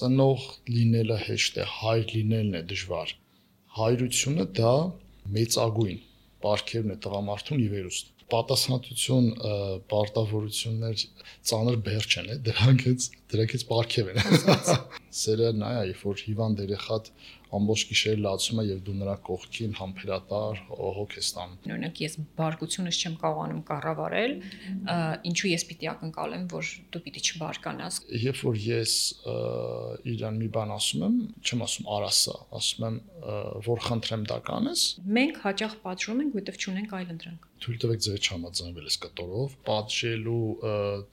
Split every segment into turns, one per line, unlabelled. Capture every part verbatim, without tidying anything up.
ծնող լինելը հեշտ է, հայր լինելն է դժվար։ Հայրությունը դա մեծագույն պարգևն է տղամարդուն ի վերուստ։ Պատասխանատվություն, պարտավորություններ ծանր բերջ են, դրանքից դրանքից պարգև են։ Սերը նա է, երբ որ հիվանդ երեխատ ամբողջ գիշեր լացում է եւ դու նրա կողքին համբերատար հոգ ես տանում։
Օրինակ ես բարկությունս չեմ կարողանում կառավարել, ինչու ես պիտի ակնկալեմ, որ դու պիտի չբարկանաս։
Երբ որ ես իրան մի բան ասում եմ, չեմ ասում արա սա, ասում եմ որ խնդրեմ դա կանես։
Մենք հաճախ պատժում ենք, որովհետեւ չունենք այլ ընտրանք։
Թույլ տվեք ձեր չհամաձայնվել այս կտորով, պատժելու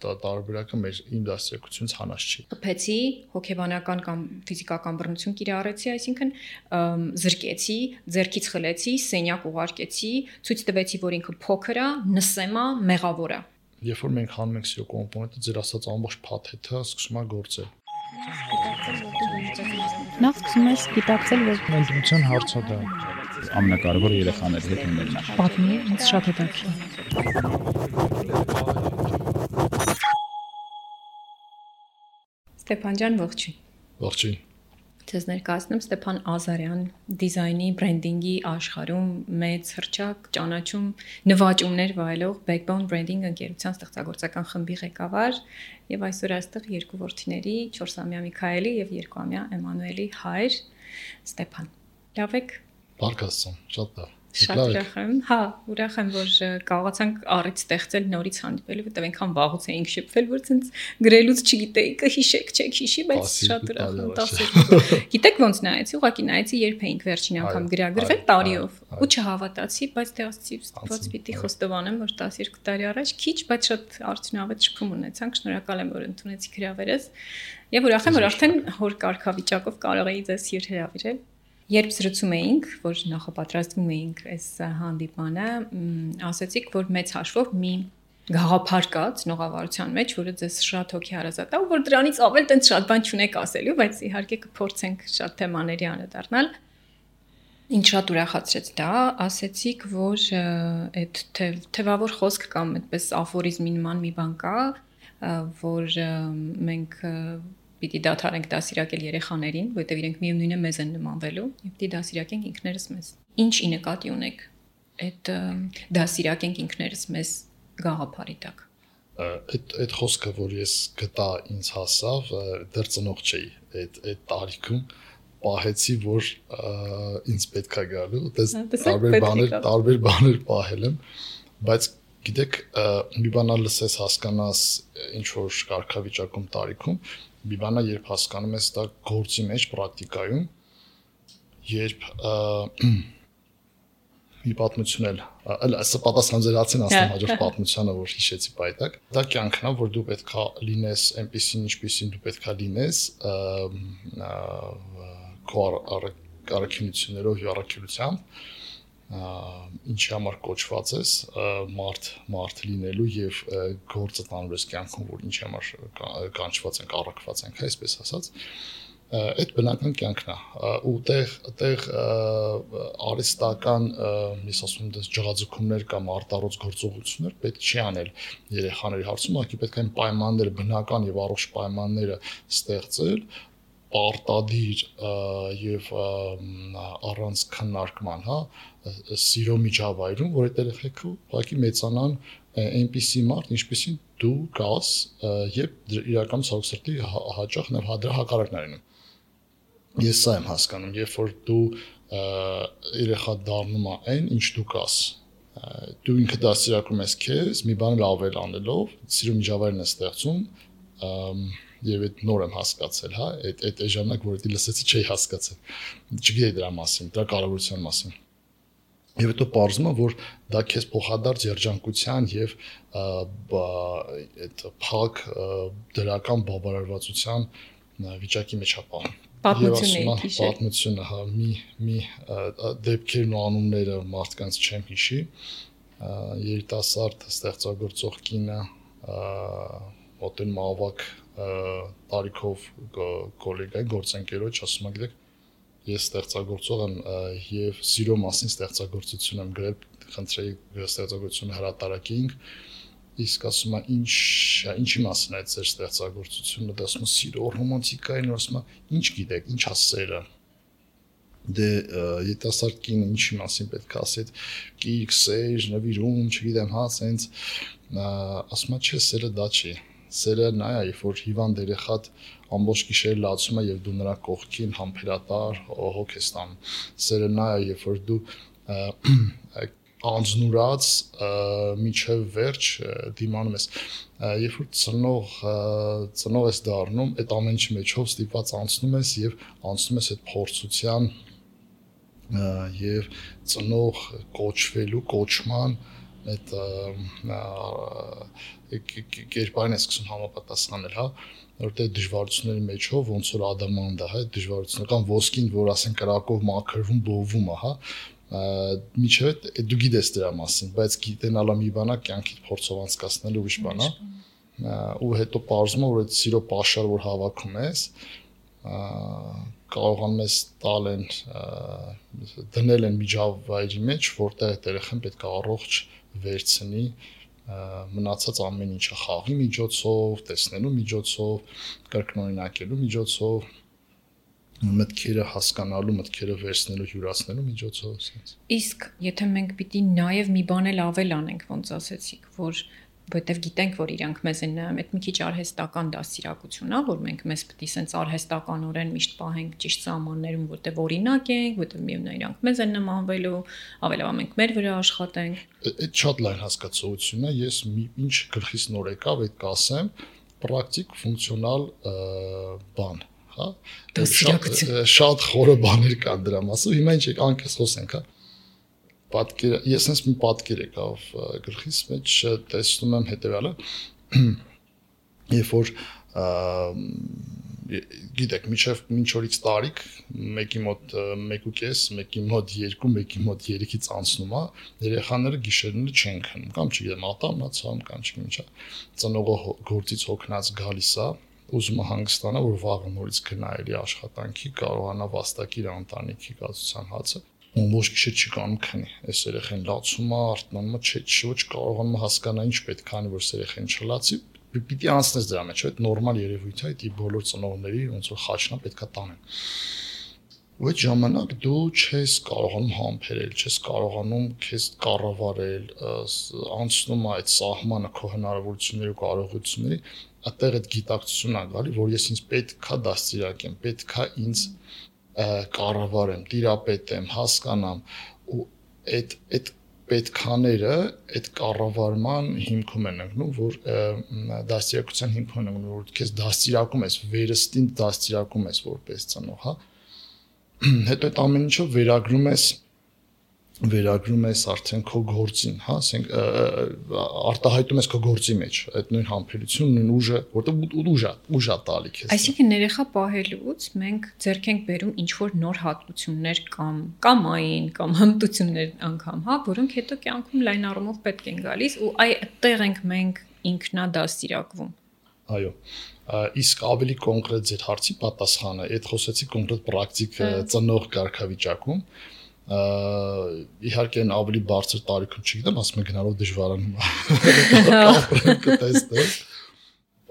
տարբերակը մեր իմ դաստիարակությունից հանած չի։
Խփեցի, հոգեբանական կամ ֆիզիկական բռնություն կիրառեցի, այսինքն զրկեցի, ձեռքից խլեցի, սենյակ ուղարկեցի, ցույց տվեցի, որ ինքը փոքր է, նսեմա, մեղավոր է։
Երբ որ մենք հանում ենք սիրո կոմպոնենտը, ձեր ասած ամբողջ փաթեթը սկսում է գործել։
Նախ սկսում ես գիտակցել, որ
ընտրության հարցը դա ամենակարևորը երեխաների հետ ունենալն է։
պատմի, ինձ շատ հետաքրքիր։
Ստեփան ջան, ողջույն։
Ողջույն։
Ձեզ ներկայացնում Ստեփան Ազարյան, դիզայնի, բրենդինգի աշխարհում մեծ հռչակ, ճանաչում, նվաճումներ վայելող Backbone Branding ընկերության ստեղծագործական խմբի ղեկավար եւ այսօր այստեղ երկու որդիների, չորսամյա Միքայելի եւ երկուամյա Էմանուելի հայր Ստեփան։ Լավ եք։
Բարգասում, շատ լավ։
Շատ ուրախ եմ, հա, ուրախ եմ, որ կարողացանք առիթ ստեղծել նորից հանդիպելու, որտեղ այնքան վաղուց էինք շփվել, որ ցենց գրելուց չգիտեի, կհիշեք, չեք հիշի, բայց շատ ուրախ եմ տասը։ Գիտեք ոնց նայեցի, ուղղակի նայեցի, երբ էինք վերջին անգամ գրագրվել տարիով, ու չհավատացի, բայց դե ասացի, ոնց պիտի խոստովանեմ, որ տասներկու տարի առաջ քիչ, բայց շատ արդյունավետ շփում ունեցանք, շնորհակալ եմ, որ ընդունեցիք հրավերս, եւ ուրախ եմ, որ արդեն հոր կարգավիճակով կարող էի ձեզ hier հրավիրել։ Երբ զրուցում էինք, որ նախապատրաստվում էինք այս հանդիպանը, ասացիք, որ մեծ հաշվով մի գաղափար կա ծնողավարության մեջ, որը ձեզ շատ հոգի հարազատ է, ու որ դրանից ավել տենց շատ բան չունեք ասելու, բայց իհարկե կփորձենք շատ թեմաների անդրադառնալ։ Ինչ շատ ուրախացրեց դա, ասացիք, որ այդ թևավոր խոսք կամ այդպես աֆորիզմի նման մի բան կա, որ մենք պիտի դադարենք դասիրակել երեխաներին, որովհետև իրենք միևնույն է մեզ են նմանվելու, եւ պիտի դասիրակենք ինքներս մեզ։ Ինչ ի նկատի ունեք այդ դասիրակենք ինքներս մեզ գաղափարի տակ։
Այդ այդ խոսքը, որ ես գտա ինձ հասավ, դեռ ծնող չէի այդ այդ տարիքում, պահեցի, որ ինձ պետք է գալու, դες տարբեր բաներ, տարբեր բաներ պահել եմ, բայց գիտեք, մի բան լսես հասկանաս ինչ որ կարգավիճակում տարիքում, մի բանը երբ հասկանում ես դա գործի մեջ պրակտիկայում, երբ մի պատմություն էլ, սա պատասխան ձեր հարցին ասեմ հաջորդ պատմությանը, որ հիշեցի պայտակ, դա կյանքն է, որ դու պետք է լինես այնպեսին, ինչպեսին դու պետք է լինես, քո առաքինություններով եւ առաքելությամբ, ինչի համար կոչված ես մարդ մարդ լինելու եւ գործը տանելու ես կյանքում, որ ինչի համար կանչված ենք, առաքված ենք, այսպես ասած, այդ բնական կյանքն է, ու տեղ տեղ արհեստական, ես ասում եմ, դες ջղաձգումներ կամ արտարոց գործողություններ պետք չի անել երեխաների հարցում, ուղղակի պետք է այն պայմանները, բնական եւ առողջ պայմանները ստեղծել, պարտադիր եւ առանց քննարկման, հա, սիրո միջավայրում, որ այդ երեխեքը ուղղակի մեծանան այնպիսի մարդ, ինչպեսին դու կաս եւ իրական ցավոք սրտի հաճախ նաեւ դրա հակառակն արնում։ Ես սա եմ հասկանում, երբ որ դու երեխա դառնում է այն, ինչ դու կաս, դու ինքդ դաստիարակում ես քեզ, մի բան լավել անելով, սիրո միջավայրն է ստեղծում, եւ այդ նոր եմ հասկացել, հա, այդ այդ ժամանակ, որ դի լսեցի, չէի հասկացել։ Չգիտեի դրա մասին, դրա կարևորության մասին։ Եվ հետո պարզվում է, որ դա քեզ փոխադարձ երջանկության եւ այդ փակ դրական բավարարվածության վիճակի մեջ է պահում։
Պատմությունների քիշեր։
Պատմությունը, հա, մի մի դեպքերն ու անունները մարդկանց չեմ հիշի։ Երիտասարդ ստեղծագործող կինը մոտեն մավակ տարիքով գոլեգա գործընկերոջ ասում եք դեք ես ստեղծագործող եմ եւ սիրո մասին ստեղծագործություն եմ գրել, խնդրեի ստեղծագործությունը հրատարակեինք իսկ ասում է ինչ ինչի մասին է ձեր ստեղծագործությունը, դա ասում է սիրո ռոմանտիկային, ասում է ինչ գիտեք, ինչ է սերը։ Դե երիտասարդ կինը ինչի մասին պետք է ասի, կիրք, սեր, նվիրում, չգիտեմ, հա, սենց ասում է չէ, սերը դա չի։ Սերը նա է, երբ որ հիվանդ երեխատ ամբողջ գիշեր լացում է եւ դու նրա կողքին համբերատար հոգ ես տանում։ Սերը նա է, երբ որ դու անձնուրած միջև վերջ դիմանում ես, երբ որ ծնող ծնող ես դառնում, այդ ամենի մեջով ստիպված անցնում ես եւ անցնում ես այդ փորձության եւ ծնող կոչվելու կոչման այդ կերպարին է սկսում համապատասխանել, հա, որտեղ դժվարությունների մեջով ոնց որ ադամանդա, հա, դժվարություններ կամ ոսկին, որ ասեն կրակով մաքրվում, բովում է, հա, միջև դու գիտես դրա մասին, բայց գիտենալը մի բան է, կյանքիդ փորձով անցկացնելու ուրիշ բան է, ու հետո պարզվում է, որ այդ սիրո պաշար, որ հավաքում ես, կարողանում ես տալ են դնել են միջավայրի մեջ, որտեղ այդ երեխան պետք է առողջ վերցնի մնացած ամեն ինչը խաղի միջոցով, տեսնելու միջոցով, կրկնօրինակելու միջոցով, մտքերը հասկանալու, մտքերը վերցնելու, յուրացնելու միջոցով, ասենց։
Իսկ եթե մենք պիտի նաև մի բան էլ ավել անենք, ոնց ասեցիք, որ որտեվ գիտենք, որ իրանք մեզ են նայում, այդ մի քիչ արհեստական դաստիարակություն է, որ մենք մեզ պետք է սենց արհեստականորեն միշտ պահենք ճիշտ սահմաններում, որտեվ օրինակ ենք, որտեվ միևնույն իրանք մեզ են նմանվելու, ավելովա մենք մեր վրա աշխատենք։
Այդ շատ լայն հասկացությունն է, ես ինչ գլխիս նոր եկավ, այդ կասեմ, պրակտիկ ֆունկցիոնալ բան, հա։ Շատ խորը բաներ կան դրա մասով, հիմա ինչ անկես խոսենք, հա։ Պատկերը, ես sense մի պատկեր եկավ գլխիս մեջ, տեսնում եմ հետևյալը, երբ որ գիտեք, միջև մինչ օրից տարիք, մեկի մոտ մեկ ու կես, մեկի մոտ երկու, մեկի մոտ երեքից անցնում է, երեխաները գիշերները չեն քնում, կամ չգիտեմ, ատամնացան, կամ չգիտեմ ինչա, ծնողը գործից հոգնած գալիս է, ուզում է հանգստանա, որ վաղը նորից գնա էլի աշխատանքի, կարողանա վաստակի իր ընտանիքի կացության հացը։ Ոչ գիշեր չի կանում քնի, այս երեխան լացում է, արթնանում է, չէ, ոչ կարողանում է հասկանալ ինչ պետք է անի, որ երեխան չլացի, պիտի անցնես դրա մեջ, այդ նորմալ երևույթ է, դա բոլոր ծնողների ոնց որ խաչնա պետք է տանեն։ Ու այդ ժամանակ դու չես կարողանում համբերել, չես կարողանում քեզ կառավարել, անցնում է այդ սահմանը քո հնարավորությունների ու կարողությունների, այդտեղ այդ գիտակցությունն է գալի, որ ես ինձ պետքա դաստիարակեմ, պետքա ինձ կառավարեմ, տիրապետեմ, հասկանամ ու այդ այդ պետքաները այդ կառավարման հիմքում են ընկնում, որ դաստիարակության հիմքում են ընկնում, որ քեզ դաստիարակում ես, վերստին դաստիարակում ես որպես ծնող, հա։ Հետո այդ ամեն ինչը վերագրում ես վերագրում ես արդեն քո գործին, հա, ասենք արտահայտում ես քո գործի մեջ, այդ նույն համբերությունը, նույն ուժը, որտեղ ուժ է, ուժ է տալի քեզ։
Այսինքն երեխա պահելուց մենք ձեռք ենք բերում ինչ որ նոր հատկություններ կամ կամային կամ հմտություններ անգամ, հա, որոնք հետո կյանքում լայն առումով պետք են գալիս ու այ այդտեղ ենք մենք ինքնադաստիարակվում։
Այո։ Իսկ ավելի կոնկրետ ձեր հարցի պատասխանը, այդ խոսեցի կոնկրետ պրակտիկ ծնող կարգավիճակում իհարկե են ավելի բարձր տարիքում չգիտեմ, ասում եմ գնալով դժվարանում է կտեսնել։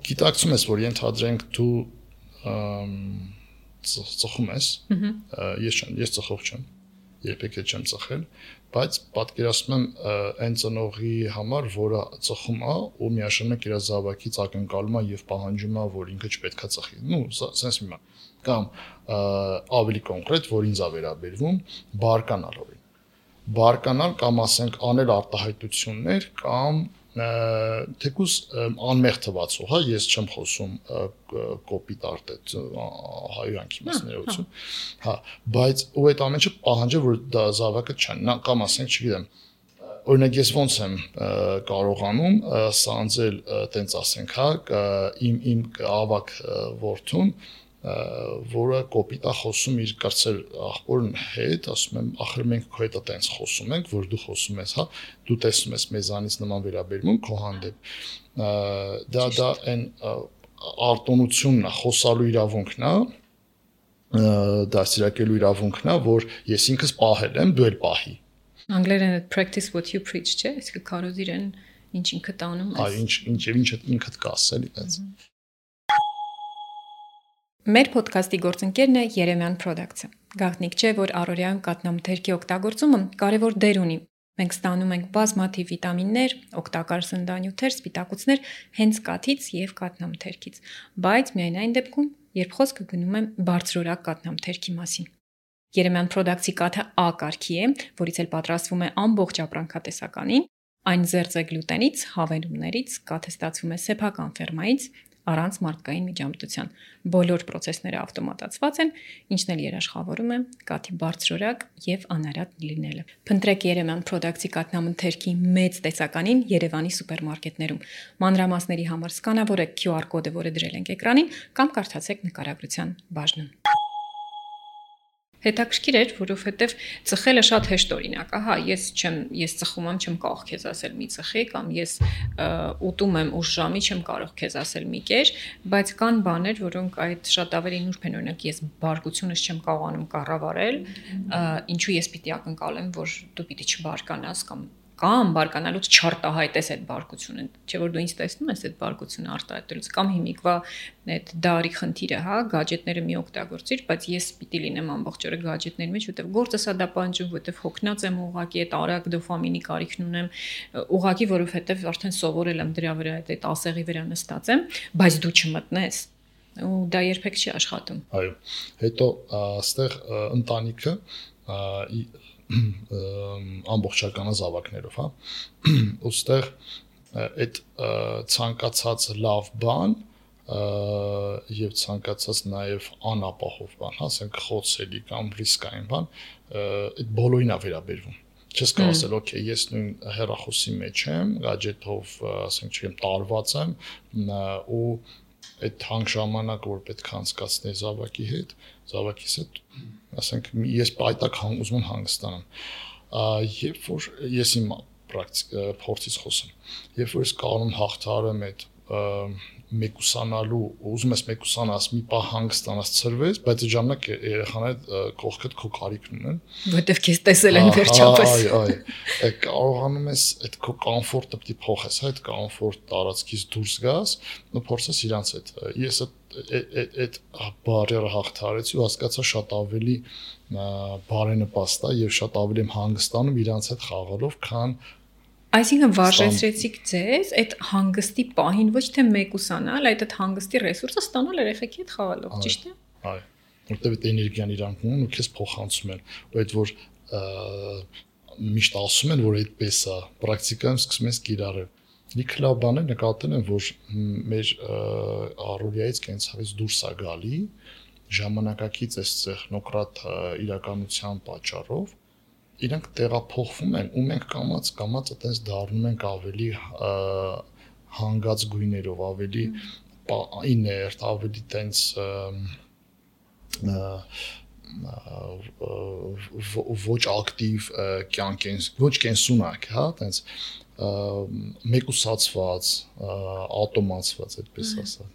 Գիտակցում ես, որ ենթադրենք դու ծխում ես, ես չեմ, ես ծխող չեմ, երբեք էլ չեմ ծխել, բայց պատկերացնում եմ այն ծնողի համար, որը ծխում է ու միաժամանակ իր զավակից ակնկալում է եւ պահանջում է, որ ինքը չպետքա ծխի։ Ну, sense մի բան կամ ավելի կոնկրետ, որ ինձ է վերաբերվում, բարկանալ օրին։ Բարկանալ կամ ասենք անել արտահայտություններ կամ թեկուզ անմեղ թվացող, հա, ես չեմ խոսում կոպիտ արտետ հայրանքի մասներություն, հա, բայց ու այդ ամենը պահանջը, որ դա զավակը չան, կամ ասենք, չգիտեմ, օրինակ ես ոնց եմ կարողանում սանձել, տենց ասենք, հա, իմ իմ ավակ որդուն, որը կոպիտ է խոսում իր կրծեր աղբորն հետ, ասում եմ, ախր մենք քո հետ այտենց խոսում ենք, որ դու խոսում ես, հա, դու տեսնում ես մեզանից նման վերաբերմունք քո հանդեպ։ Դա դա այն արտոնությունն է, խոսալու իրավունքն է, դաստիարակելու իրավունքն է, որ ես ինքս պահել եմ, դու էլ պահի։
Անգլերեն practice what you preach, չէ՞, իսկ կարոզ իրեն ինչ ինքդ անում ես։
Այո, ինչ ինչ եւ ինչ ինքդ կաս էլի այդպես։
Մեր ոդքասթի գործընկերն է Երեմյան Products-ը։ Գաղտնիք չէ, որ առօրյայում կաթնամթերքի օգտագործումը կարևոր դեր ունի։ Մենք ստանում ենք բազմաթիվ վիտամիններ, օգտակար սննդանյութեր, սպիտակուցներ հենց կաթից եւ կաթնամթերքից, բայց միայն այն դեպքում, երբ խոսքը գնում է բարձրորակ կաթնամթերքի մասին։ Երեմյան Products-ի կաթը A կարգի է, որից էլ պատրաստվում է ամբողջ ապրանքատեսականին, այն զերծ է գլուտենից, հավելումներից, կաթը ստացվում է սեփական ֆերմայից, առանց մարդկային միջամտության։ Բոլոր process-ները ավտոմատացված են, ինչն էլ երաշխավորում է կաթի բարձրորակ եւ անարատ լինելը։ Փնտրեք Երեմյան Products-ի կաթնամթերքի մեծ տեսականին Երևանի սուպերմարկետներում։ Մանրամասների համար սկանավորեք Q R կոդը, որը դրել ենք էկրանին, կամ կարդացեք նկարագրության բաժնում։ Հետաքրքիր էր, որովհետև ծխելը շատ հեշտ օրինակ է, հա, ես չեմ, ես ծխում եմ, չեմ կարող քեզ ասել մի ծխի, կամ ես ուտում եմ ուշ ժամի, չեմ կարող քեզ ասել մի կեր, բայց կան բաներ, որոնք այդ շատ ավելի նուրբ են, օրինակ ես բարկությունս չեմ կարողանում կառավարել, ինչու ես պիտի ակնկալեմ, որ դու պիտի չբարկանաս կամ կամ բարկանալուց չարտահայտես այդ բարկությունը, չէ՞ որ դու ինձ տեսնում ես այդ բարկությունը արտահայտելուց, կամ հիմիկվա այդ դարի խնդիրը, հա, գadgetները մի օգտագործիր, բայց ես պիտի լինեմ ամբողջ օրը գadgetների մեջ, որտեվ գործս է դա պանջում, որտեվ հոգնած եմ ուղակի այդ արագ դոֆամինի կարիքն ունեմ, ուղակի որովհետև արդեն սովորել եմ դրա վրա այդ ասեղի վրա նստած եմ, բայց դու չմտնես, ու դա երբեք չի աշխատում։
Այո, հետո այստեղ ընտանիքը ամբողջական զավակներով, հա, ուստեղ այդ ցանկացած լավ բան եւ ցանկացած նաեւ անապահով բան, հա, ասենք խոցելի կամ ռիսկային բան, այդ բոլորին է վերաբերվում։ Չես կարող ասել, օքեյ, ես նույն հեռախոսի մեջ եմ, գadget-ով, ասենք, չեմ տարված եմ, ու այդ հանք ժամանակ, որ պետք է անցկացնի զավակի հետ, զավակիս հետ, ասենք, ես պայտակ ուզում եմ հանգստանամ։ Երբ որ ես իմ փորձից խոսեմ, երբ որ ես կարող եմ հաղթահարեմ այդ մեկուսանալու, ուզում ես մեկուսանաս, մի պահ հանգստանաս, ցրվես, բայց այդ ժամանակ երեխաները կողքդ քո կարիքն ունեն,
որտեվ քեզ տեսել են վերջապես։
Այո, այո, կարողանում ես այդ քո կոմֆորտը պիտի փոխես, այդ կոմֆորտ տարածքից դուրս գաս, ու փորձես իրանց հետ։ Ես այդ այդ բարերը հաղթարեցի ու հասկացա շատ ավելի բարենպաստ է եւ շատ ավելի եմ հանգստանում իրանց հետ խաղալով, քան
Այսինքն վարժեցրեցիք ձեզ այդ հանգստի պահին ոչ թե մեկուսանալ, այլ այդ հանգստի ռեսուրսը ստանալ երեխեքի հետ խաղալով, ճիշտ է։
Այո, որտեղ այդ էներգիան իրանք ունեն ու քեզ փոխանցում են, ու այդ որ միշտ ասում են, որ այդպես է, պրակտիկայում սկսում ես կիրառել։ Լիքը լավ բաներ նկատել են, որ մեր առօրյայից կենցաղից դուրս է գալի, ժամանակակից այս տեխնոկրատ իրականության պատճառով իրանք տեղափոխվում են ու մենք կամած կամած այտենց դառնում ենք ավելի հանգած գույներով, ավելի իներտ, ավելի տենց ոչ ակտիվ կյանք են, ոչ կենսունակ, հա, տենց մեկուսացված, ատոմացված, այդպես ասած։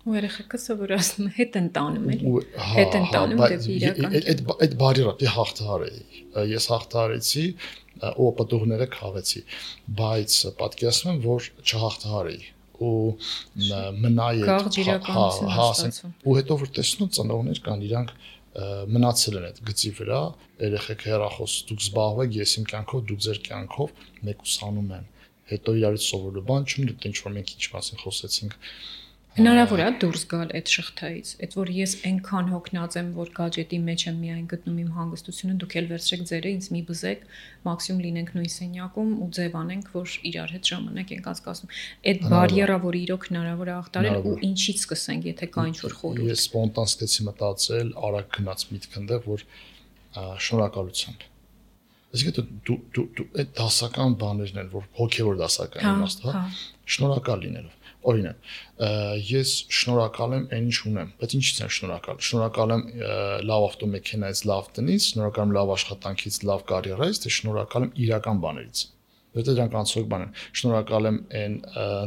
Ու երեխեքը սովորացնում հետ են տանում էլի, հետ են տանում դեպի իրական։
Այդ այդ բարերը դի հաղթահարեի, ես հաղթահարեցի ու պատուղները քաղեցի, բայց պատկերացնում եմ, որ չհաղթահարեի ու մնայի
այդ
ու հետո որ տեսնում ծնողներ կան, իրանք մնացել են այդ գծի վրա, երեխեք հեռախոս դուք զբաղվեք, ես իմ կյանքով, դուք ձեր կյանքով մեկուսանում են։ Հետո իրարից սովորելու բան չունի, դե ինչ որ մենք ինչ մասին խոսեցինք։
Հնարավոր է դուրս գալ այդ շղթայից, այդ որ ես այնքան հոգնած եմ, որ գadget-ի մեջ եմ միայն գտնում իմ հանգստությունը, դուք էլ վերցրեք ձերը, ինձ մի բզեք, մաքսիմում լինենք նույն սենյակում ու ձևանենք, որ իրար հետ ժամանակ ենք անցկացնում։ Այդ բարիերա, որ իրոք հնարավոր է հաղթարել ու ինչից սկսենք, եթե կա ինչ-որ խորհուրդ։
Ես սպոնտան սկսեցի մտածել, արագ գնաց միտք ընդեղ, որ շնորհակալությամբ։ Այսինքն դու դու այդ դասական բաներն են, որ հոգևոր դասական իմաստ, հա, շնորհակալ լինելով։ Օրինակ, ես շնորհակալ եմ այն ինչ ունեմ, բայց ինչից եմ շնորհակալ։ Շնորհակալ եմ լավ ավտոմեքենայից, լավ տնից, շնորհակալ եմ լավ աշխատանքից, լավ կարիերայից, թե շնորհակալ եմ իրական բաներից։ Որտե դրանք անցող բան են։ Շնորհակալ եմ այն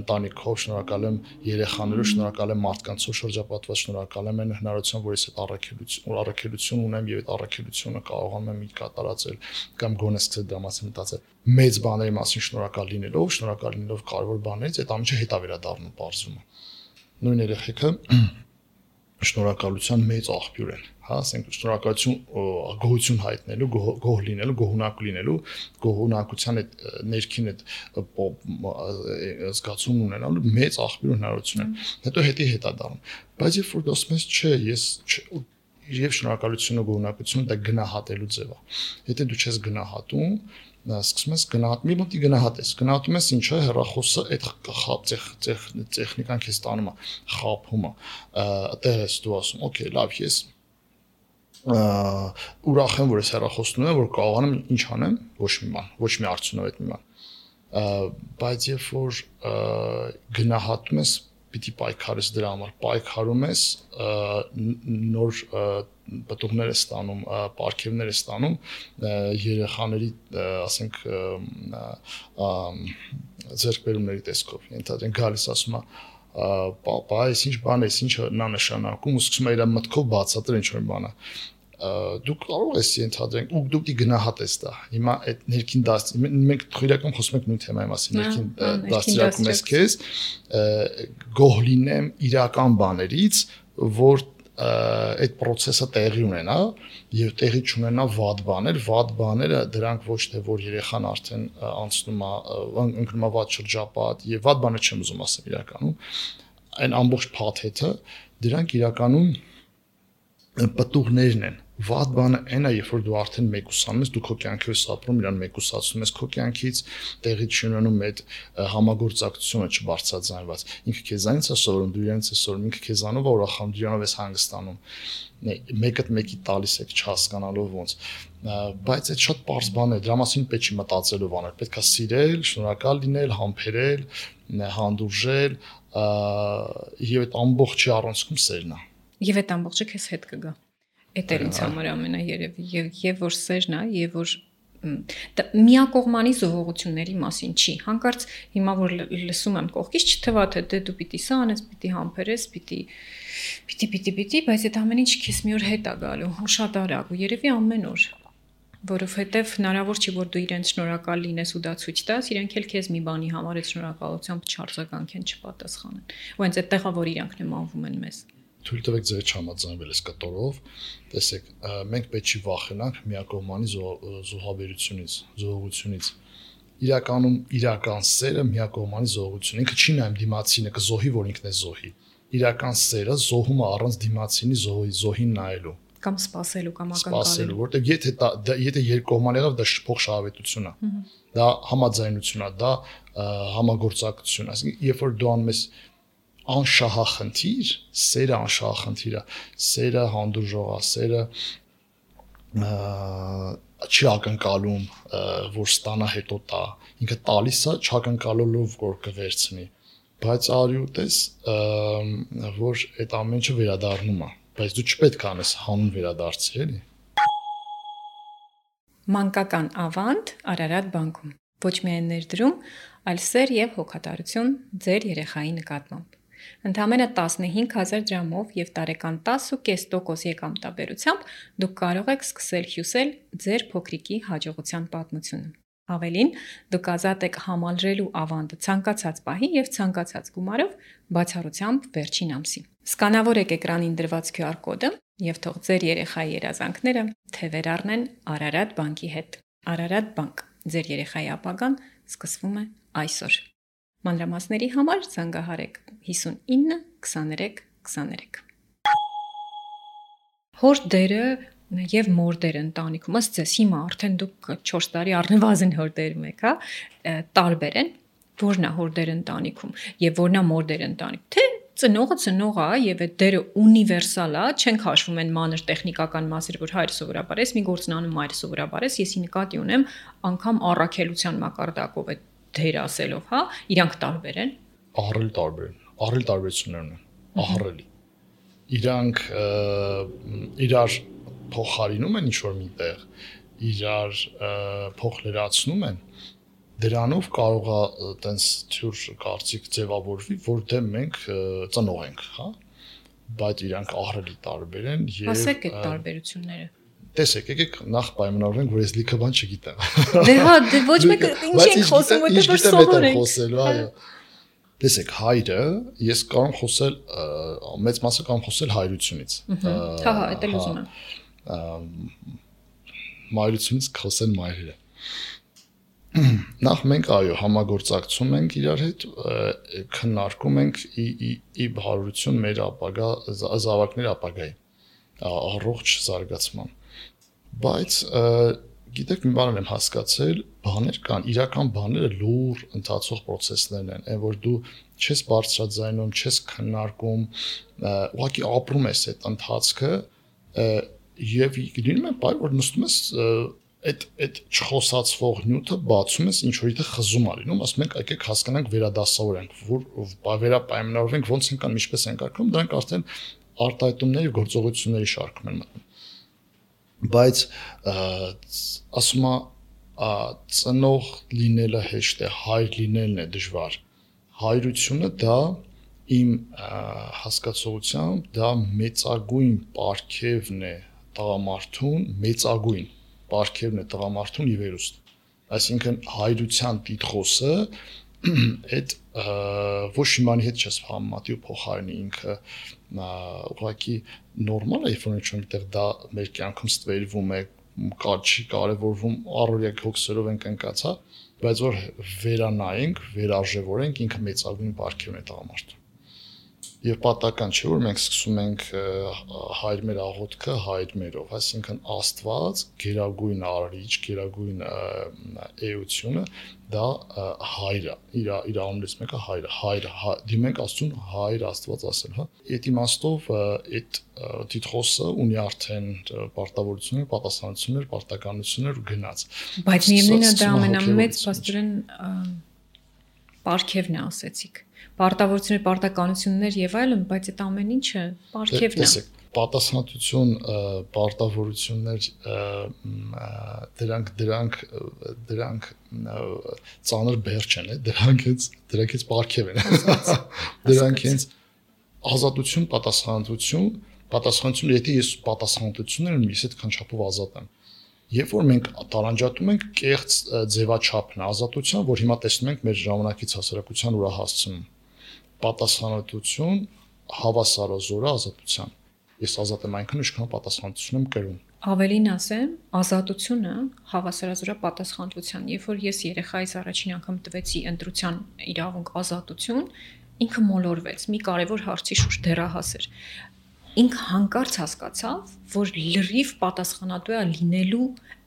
ընտանիքով, շնորհակալ եմ երեխաներով, շնորհակալ եմ մարդկանցով շրջապատված, շնորհակալ եմ այն հնարավորությամբ, որ ես այդ առաքելություն, առաքելություն ունեմ եւ այդ առաքելությունը կարողանում եմ իդ կատարածել կամ գոնե սկսել դրա մասին մտածել։ Մեծ բաների մասին շնորհակալ լինելով, շնորհակալ լինելով կարևոր բաներից, այդ ամենը հետա վերադառնում բարձվում է։ Նույն երեխեքը շնորհակալության մեծ աղբյուր են, հա, ասենք շնորհակալություն գոհություն հայտնելու, գոհ լինելու, գոհունակ լինելու, գոհունակության այդ ներքին այդ զգացում ունենալու մեծ աղբյուր հնարավորություն են։ Հետո հետի հետա դառնում։ Բայց երբ որ դասում ես, չէ, ես եւ շնորհակալությունը, գոհունակությունը դա գնահատելու ձև է։ Եթե դու չես գնահատում, սկսում ես գնահատ մի մոտի գնահատես, գնահատում ես ինչա հեռախոսը այդ տեխնիկան քեզ տանում է, խափում է, այդտեղ ես դու ասում, օքեյ, լավ, ես ուրախ եմ, որ ես հեռախոսն ունեմ, որ կարողանամ ինչ անեմ, ոչ մի բան, ոչ մի արդյունավետ մի բան։ Բայց երբ որ գնահատում ես, պիտի պայքարես դրա համար, պայքարում ես, նոր պտուղներ ես ստանում, պարգևներ ես ստանում, երեխաների, ասենք, ձեռքբերումների տեսքով, ենթադրենք գալիս ասում է, պապա, այս ինչ բան է, ինչ նա նշանակում, ու սկսում է իր մտքով բացատրել ինչ-որ բան է։ Դու կարող ես ենթադրենք, ու դու պիտի գնահատես դա։ Հիմա այդ ներքին դաս, մենք իրական խոսում ենք նույն թեմայի մասին, ներքին դաստիարակում ես քեզ, գոհ լինեմ իրական բաներից, որ այդ process-ը տեղի ունենա եւ տեղի չունենա վատ բաներ, վատ բաները դրանք ոչ թե որ երեխան արդեն անցնում է, ընկնում է վատ շրջապատ եւ վատ բանը չեմ ուզում ասել իրականում, այն ամբողջ փաթեթը դրանք իրականում պտուղներն են։ Վատ բանը այն է, երբ որ դու արդեն մեկուսանում ես, դու քո կյանքի ես ապրում, իրան մեկուսացնում ես քո կյանքից, տեղի չունենում այդ համագործակցությունը չբարձրաձայնված։ Ինքը քեզանից է սովորում, դու իրանից ես սովորում, ինքը քեզանով է ուրախանում, դու իրանով ես հանգստանում։ Մեկը մեկի տալիս եք չհասկանալով ոնց։ Բայց այդ շատ པարզ բան է, դրա մասին պետք չի մտածելով անել, պետք է սիրել, շնորհակալ լինել, համբերել, հանդուրժել, եւ այդ ամբողջի առանցքում սերն է։
Եվ այդ ամբողջը քեզ հետ կգա։ Այդ էր ինձ համար ամենաերևի եւ եւ որ սերն է եւ որ միակողմանի զողողությունների մասին չի։ Հանկարծ հիմա որ լսում եմ կողքից չթվա թե դե դու պիտի սա անես, պիտի համբերես, պիտի պիտի պիտի պիտի, բայց այդ ամեն ինչ քեզ մի օր հետ է գալու, ու շատ արագ, ու երևի ամեն օր, որովհետեւ հնարավոր չի որ դու իրենց շնորհակալ լինես ու դա ցույց տաս, իրենք էլ քեզ մի բանի համար այդ շնորհակալությամբ չարձագանքեն, չպատասխանեն։ Ու հենց այդտեղ է որ իրանք նմանվում են մեզ։
Թույլ տվեք ձեր չհամաձայնվել այս կտորով, տեսեք, մենք պետք չի վախենանք միակողմանի զոհաբերությունից, զոհողությունից։ Իրականում իրական սերը միակողմանի զոհություն, ինքը չի նայում դիմացինը կզոհի, որ ինքն է զոհի։ Իրական սերը զոհում է առանց դիմացինի զոհի, զոհին նայելու
կամ սпасելու կամ ակնկալելու։
Սпасելու, որտեղ եթե եթե երկկողման եղավ, դա փոխշահավետություն է։ Դա համաձայնություն է, դա համագործակցություն է։ Այսինքն, երբ որ դու անում ես անշահախնդիր, սերը անշահախնդիր է, սերը հանդուրժող է, սերը չի ակնկալում, որ ստանա հետո տա, ինքը տալիս է չակնկալելով, որ կվերցնի, բայց արյուտես, որ այդ ամենը վերադառնում է, բայց դու չպետք է անես հանուն վերադարձի, էլի։
Մանկական ավանդ Արարատ բանկում, ոչ միայն ներդրում, այլ սեր եւ հոգատարություն ձեր երեխայի նկատմամբ։ Ընդամենը տասնհինգ հազար դրամով եւ տարեկան տասը կես տոկոս եկամտաբերությամբ դուք կարող եք սկսել հյուսել ձեր փոքրիկի հաջողության պատմությունը։ Ավելին, դուք ազատ եք համալրելու ավանդը ցանկացած պահի եւ ցանկացած գումարով բացառությամբ վերջին ամսի։ Սկանավորեք էկրանին դրված քյու ար կոդը եւ թող ձեր երեխայի երազանքները թևեր առնեն Արարատ բանկի հետ։ Արարատ բանկ, ձեր երեխայի ապագան սկսվում է այսօր։ Մանրամասների համար զանգահարեք հիսունինը քսաներեք քսաներեք։ Հոր դերը եւ մոր դերը ընտանիքում, ըստ ձեզ հիմա արդեն դուք չորս տարի առնվազն հոր դերում եք, հա, տարբեր են, որն է հոր դերը ընտանիքում եւ որն է մոր դերը ընտանիքում։ Թե ծնողը ծնող է եւ այդ դերը ունիվերսալ է, չենք հաշվում են մանր տեխնիկական մասեր, որ հայրը սովորաբար է, մի գործն անում մայրը սովորաբար է, ես ի նկատի ունեմ անգամ առաքելության մակարդակով այդ դեր ասելով, հա, իրանք տարբեր են։
Ահռելի տարբեր են, ահռելի տարբերություններ ունեն, ահռելի։ Իրանք իրար փոխարինում են ինչ-որ միտեղ, իրար փոխլերացնում են, դրանով կարող է տենց թյուր կարծիք ձևավորվի, որ դե մենք ծնող ենք, հա, բայց իրանք ահռելի տարբեր են եւ
ասեք այդ տարբերությունները։
Տեսեք, եկեք նախ պայմանավորենք, որ ես լիքը բան չգիտեմ։
Դե հա, դե ոչ մեկը ինչ ենք խոսում, որտեղ որ սովոր ենք
խոսելու, այո։ Տեսեք, հայրը ես կարող եմ խոսել մեծ մասը կարող եմ խոսել հայրությունից։
Հա, հա, դա էլ ուզում եմ։
Մայրությունից խոսել մայրերը։ Նախ մենք այո համագործակցում ենք իրար հետ, քննարկում ենք ի հարություն մեր ապագա զավակների ապագայի առողջ զարգացման։ Բայց գիտեք մի բան եմ հասկացել, բաներ կան, իրական բաները լուր ընթացող process-ներն են, այն որ դու չես բարձրաձայնում, չես քննարկում, ուղղակի ապրում ես այդ ընթացքը եւ լինում է բայ որ նստում ես այդ այդ չխոսացվող նյութը բացում ես ինչ որ իդե խզում ա լինում, ասում ենք եկեք հասկանանք վերադասավորենք, որ վերապայմանավորվենք ոնց են կան, ինչպես են կարգում, դրանք արդեն արտահայտումների եւ գործողությունների շարքում են մտնում։ Բայց ասում ա ծնող լինելը հեշտ է, հայր լինելն է դժվար։ Հայրությունը դա իմ հասկացողությամբ դա մեծագույն պարգևն է տղամարդուն, մեծագույն պարգևն է տղամարդուն ի վերուստ։ Այսինքն հայրության տիտղոսը այդ ոչ իմանի հետ չես համեմատի ու փոխարինի ինքը ուղղակի նորմալ է, երբ որ ինչ-որ դա մեր կյանքում ստվերվում է, չի կարևորվում, առօրյա հոգսերով ենք ընկած, հա, բայց որ վերանայենք, վերարժևորենք, ինքը մեծագույն պարգևն է տղամարդուն։ Եվ պատական չէ, որ մենք սկսում ենք հայր մեր աղոթքը հայր մերով, այսինքն Աստված գերագույն արարիչ, գերագույն էությունը դա հայրը, իր իր անունից մեկը հայրը, հայրը, դիմենք Աստծուն հայր Աստված ասել, հա։ Այդ իմաստով այդ տիտղոսը ունի արդեն պարտավորություններ, պատասխանատվություններ, պարտականություններ ու գնաց։
Բայց միևնույնն է դա ամենամեծ փաստորեն պարգևն է, ասեցիք։ Պարտավորություններ, պարտականություններ եւ այլն, բայց այդ ամեն ինչը պարգևն է։
Տեսեք, պատասխանատվություն, պարտավորություններ դրանք դրանք դրանք ծանր բեր չեն, դրանքից դրանքից պարգև են։ Դրանքից ազատություն, պատասխանատվություն, պատասխանատվություն, եթե ես պատասխանատվությունները ես այդքան չափով ազատ եմ։ Երբ որ մենք տարանջատում ենք կեղծ ձևաչափն ազատության, որ հիմա տեսնում ենք մեր ժամանակից հասարակության ուրա հասցնում։ Պատասխանատվություն հավասարազոր է ազատության։ Ես ազատ եմ այնքան, ինչքան պատասխանատվություն եմ կրում։
Ավելին ասեմ, ազատությունը հավասարազոր է պատասխանատվության։ Երբ որ ես երեխայիս առաջին անգամ տվեցի ընտրության իրավունք ազատություն, ինքը մոլորվեց մի կարևոր հարցի շուրջ դեռահաս էր։ Ինքը հանկարծ հասկացավ, որ լրիվ պատասխանատու է լինելու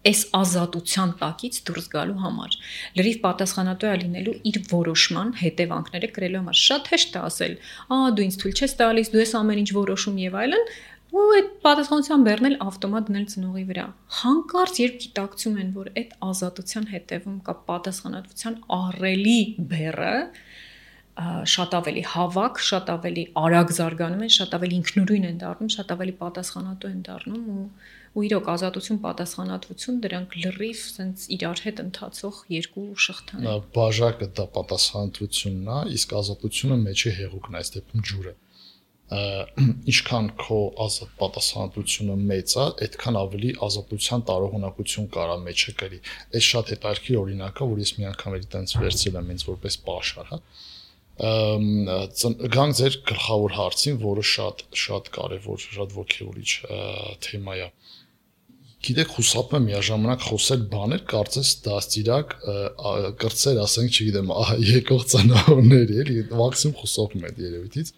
այս ազատության տակից դուրս գալու համար։ Լրիվ պատասխանատու է լինելու իր որոշման հետևանքները կրելու համար։ Շատ հեշտ է ասել, «Ահա դու ինձ թույլ չես տալիս, դու ես ամեն ինչ որոշում եւ այլն», ու այդ պատասխանատվության բեռն էլ ավտոմատ դնել ծնողի վրա։ Հանկարծ երբ գիտակցում են, որ այդ ազատության հետևում կա պատասխանատվության ահռելի բեռը, շատ ավելի հավաք, շատ ավելի արագ զարգանում են, շատ ավելի ինքնուրույն են դառնում, շատ ավելի պատասխանատու են դառնում ու ու իրոք ազատություն, պատասխանատվություն դրանք լրիվ sense իրար հետ ընթացող երկու շղթան են։
Բաժակը դա պատասխանատվությունն է, իսկ ազատությունը մեջի հեղուկն է, այս դեպքում ջուրը։ Ինչքան քո ազատ պատասխանատվությունը մեծ է, այդքան ավելի ազատության տարողունակություն կարա մեջը կրի։ Այս շատ հետաքրքիր օրինակ է, որ ես մի անգամ էլի տենց վերցրել եմ ինձ որպես պաշար, հա։ Գանք ձեր գլխավոր հարցին, որը շատ շատ կարևոր, շատ ոգևորիչ թեմա է։ Գիտեք, խուսափում եմ միաժամանակ խոսել բաներ, կարծես դաստիարակ կրծեր, ասենք, չգիտեմ, եկող ծնողների, էլի, մաքսիմում խուսափում եմ երևույթից։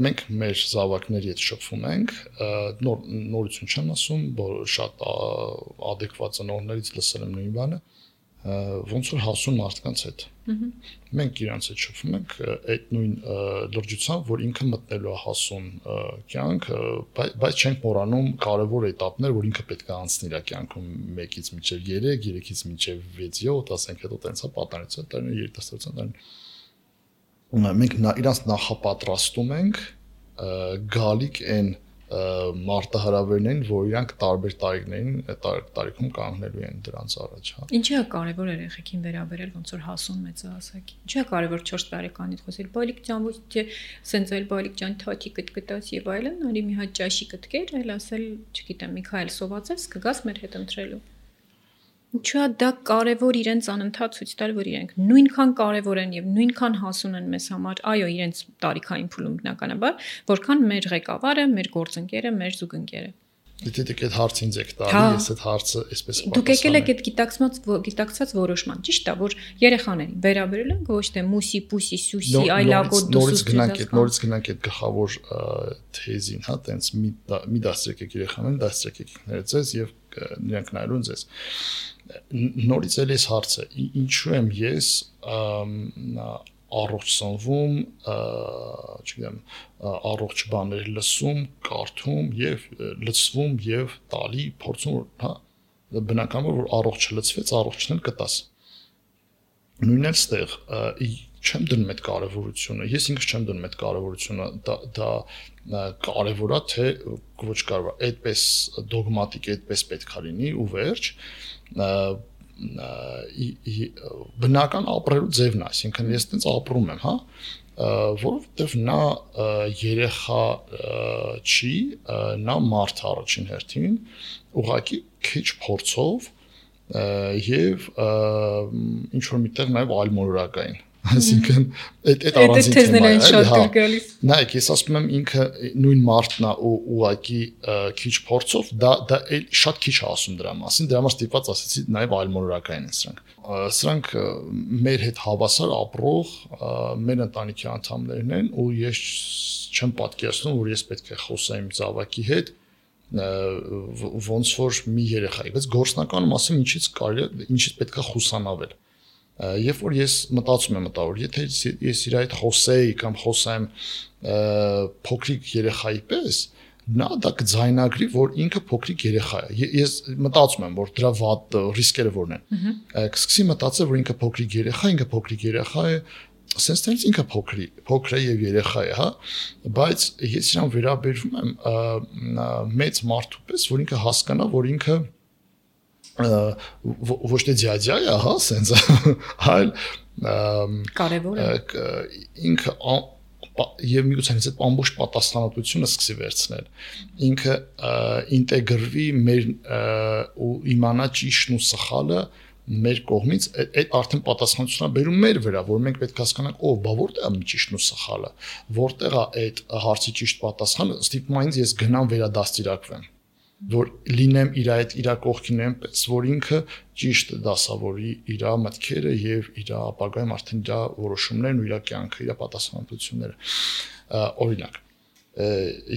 Մենք մեր զավակների հետ շփվում ենք, նոր նորություն չեմ ասում, որ շատ adekvat ծնողներից լսել եմ նույն բանը, ոնց որ հասուն մարդկանց հետ։ Մենք իրանց հետ շփվում ենք այդ նույն լրջությամբ, որ ինքը մտնելու է հասուն կյանք, բայց չենք մոռանում կարևոր էտապներ, որ ինքը պետք է անցնի իր կյանքում մեկից մինչև երեք, երեքից մինչև վեց յոթ, ասենք հետո տենց է պատանեցը, տերն երիտասարդության տերն։ Մենք իրանց նախապատրաստում ենք գալիք այն մարտահրավերն են, որ իրանք տարբեր տարիքներին, տարիքում կանգնելու են դրանց առաջ, հա։
Ինչի՞ է կարևոր երեխեքին վերաբերել ոնց որ հասուն մեծահասակի։ Ինչի՞ է կարևոր չորս տարեկանից խոսել բալիկ ջան, ոչ թե սենց էլ բալիկ ջան թաթի կտկտած եւ այլն, արի մի հատ ճաշի կտկեր, այլ ասել, չգիտեմ, Միքայել սովածես կգաս մեր հետ ընտրելու։ Ինչու՞ է դա կարևոր իրենց անընդհատ ցույց տալ, որ իրենք նույնքան կարևոր են եւ նույնքան հասուն են մեզ համար, այո, իրենց տարիքային փուլում բնականաբար, որքան մեր ղեկավարը, մեր գործընկերը, մեր զուգընկերը։
Դե դեք այդ հարցը ինձ եք տալի, ես այդ հարցը այսպես պատասխանում։
Դուք եկել եք այդ գիտակցված գիտակցած որոշման, ճիշտ է, որ երեխաներին վերաբերել են ոչ թե մուսի, պուսի, սուսի, այլագոտ
նորից գնանք այդ նորից գնանք այդ գլխավոր թեզին, հա, տենց մի մի դաստրեք եք երեխաներին, դաստրեք եք ներծես եւ նրանք նայելուն ձեզ։ Նորից էլ էս հարցը, ինչու եմ ես առողջ սնվում, չգիտեմ, առողջ բաներ լսում, կարդում եւ լցվում եւ տալի փորձում, հա, բնականաբար որ առողջ լցվեց, առողջն էլ կտաս։ Նույնն էլ ստեղ չեմ դնում այդ կարևորությունը, ես ինքս չեմ դնում այդ կարևորությունը, դա դա կարևոր է թե ոչ կարևոր, այդպես դոգմատիկ, այդպես պետք է լինի ու վերջ, բնական ապրելու ձևն է, այսինքն ես տենց ապրում եմ, հա, որովհետև նա երեխա չի, նա մարդ առաջին հերթին, ուղղակի քիչ փորձով եւ ինչ որ միտեղ նաեւ այլմոլորակային, այսինքն այդ այդ առանձին թեմա է, հա։ Նայեք, ես ասում եմ ինքը նույն մարդն է ու ուղղակի քիչ փորձով, դա դա շատ քիչ է ասում դրա մասին, դրա համար ստիպված ասեցի նաեւ այլմոլորակային են սրանք։ Սրանք մեր հետ հավասար ապրող մեր ընտանիքի անդամներն են ու ես չեմ պատկերացնում, որ ես պետք է խոսեմ զավակի հետ ոնց որ մի երեխայի, բայց գործնականում ասեմ ինչից կարելի, ինչից պետք է խուսանավել։ Երբ որ ես մտածում եմ մտավոր, եթե ես իր այդ խոսեի կամ խոսեմ փոքրիկ երեխայի պես, նա դա կձայնագրի, որ ինքը փոքրիկ երեխա է։ Ես մտածում եմ, որ դրա վատ ռիսկերը որն են։ Կսկսի մտածել, որ ինքը փոքրիկ երեխա, ինքը փոքրիկ երեխա է, sense տենց ինքը փոքրիկ, փոքր է եւ երեխա է, հա, բայց ես իրան վերաբերվում եմ մեծ մարդու պես, որ ինքը հասկանա, որ ինքը ոչ թե ձյաձյա է, հա, sense, այլ
կարևոր է
ինքը եւ միուցանից այդ ամբողջ պատասխանատվությունը սկսի վերցնել։ Ինքը ինտեգրվի մեր ու իմանա ճիշտն ու սխալը մեր կողմից, այդ արդեն պատասխանատվությունը բերում մեր վրա, որ մենք պետք է հասկանանք, օ, բա որտեղ է ճիշտն ու սխալը, որտեղ է այդ հարցի ճիշտ պատասխանը, ստիպում է ինձ ես գնամ վերադաստիարակվեմ, որ լինեմ իր այդ իր կողքին այնպես, որ ինքը ճիշտ դասավորի իր մտքերը եւ իր ապագայում արդեն իր որոշումներն ու իր կյանքը, իր պատասխանատվությունները։ Օրինակ,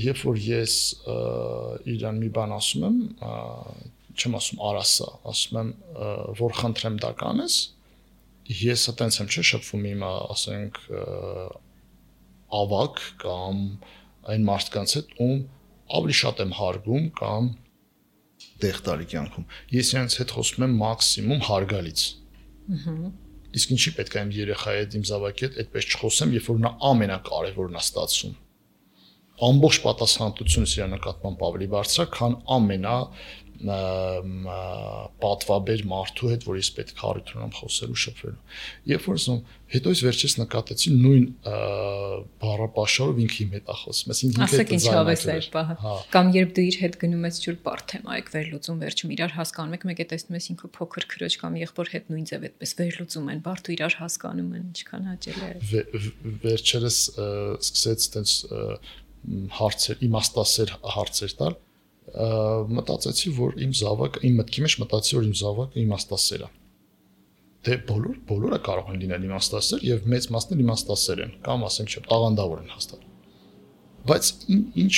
երբ որ ես իրան մի բան ասում եմ, չեմ ասում արասա, ասում եմ, որ խնդրեմ դա կանես, ես այտենց եմ չէ շփվում իմ, ասենք, ավակ կամ այն մարդկանց հետ, ում ավելի շատ եմ հարգում կամ տեղտարի կյանքում։ Ես իրենց հետ խոսում եմ մաքսիմում հարգալից։ Իսկ ինչի պետք է իմ երեխայի հետ, իմ զավակի հետ այդպես չխոսեմ, երբ որ նա ամենակարևորն է ստացվում։ Ամբողջ պատասխանատվությունս իր նկատմամբ ավելի բարձր է, քան ամենա պատվաբեր մարդու հետ, որ ես պետք է առիթ ունեմ խոսելու, շփվելու։ Երբ որ ասում, հետո ես վերջից նկատեցի նույն բառապաշարով ինքը իմ հետ է խոսում, այսինքն ինքը
ասեք ինչ հավես է այդ պահը։ Կամ երբ դու իր հետ գնում ես ջուր բարդ թեմա եք վերլուծում, վերջում իրար հասկանում եք, մեկ է տեսնում ես ինքը փոքր քրոջ կամ եղբոր հետ նույն ձև այդպես վերլուծում են, բարդ ու իրար հասկանում են, ինչքան հաճելի է։
Վերջերս սկսեց այդպես հարցեր, իմաստասեր հարցեր տալ, մտածեցի, որ իմ զավակը, իմ մտքի մեջ մտածի, որ իմ զավակը իմաստասեր է։ Դե բոլոր, բոլորը կարող են լինել իմաստասեր եւ մեծ մասն էլ իմաստասեր են, կամ ասենք չէ, տաղանդավոր են հաստատ։ Բայց ինչ,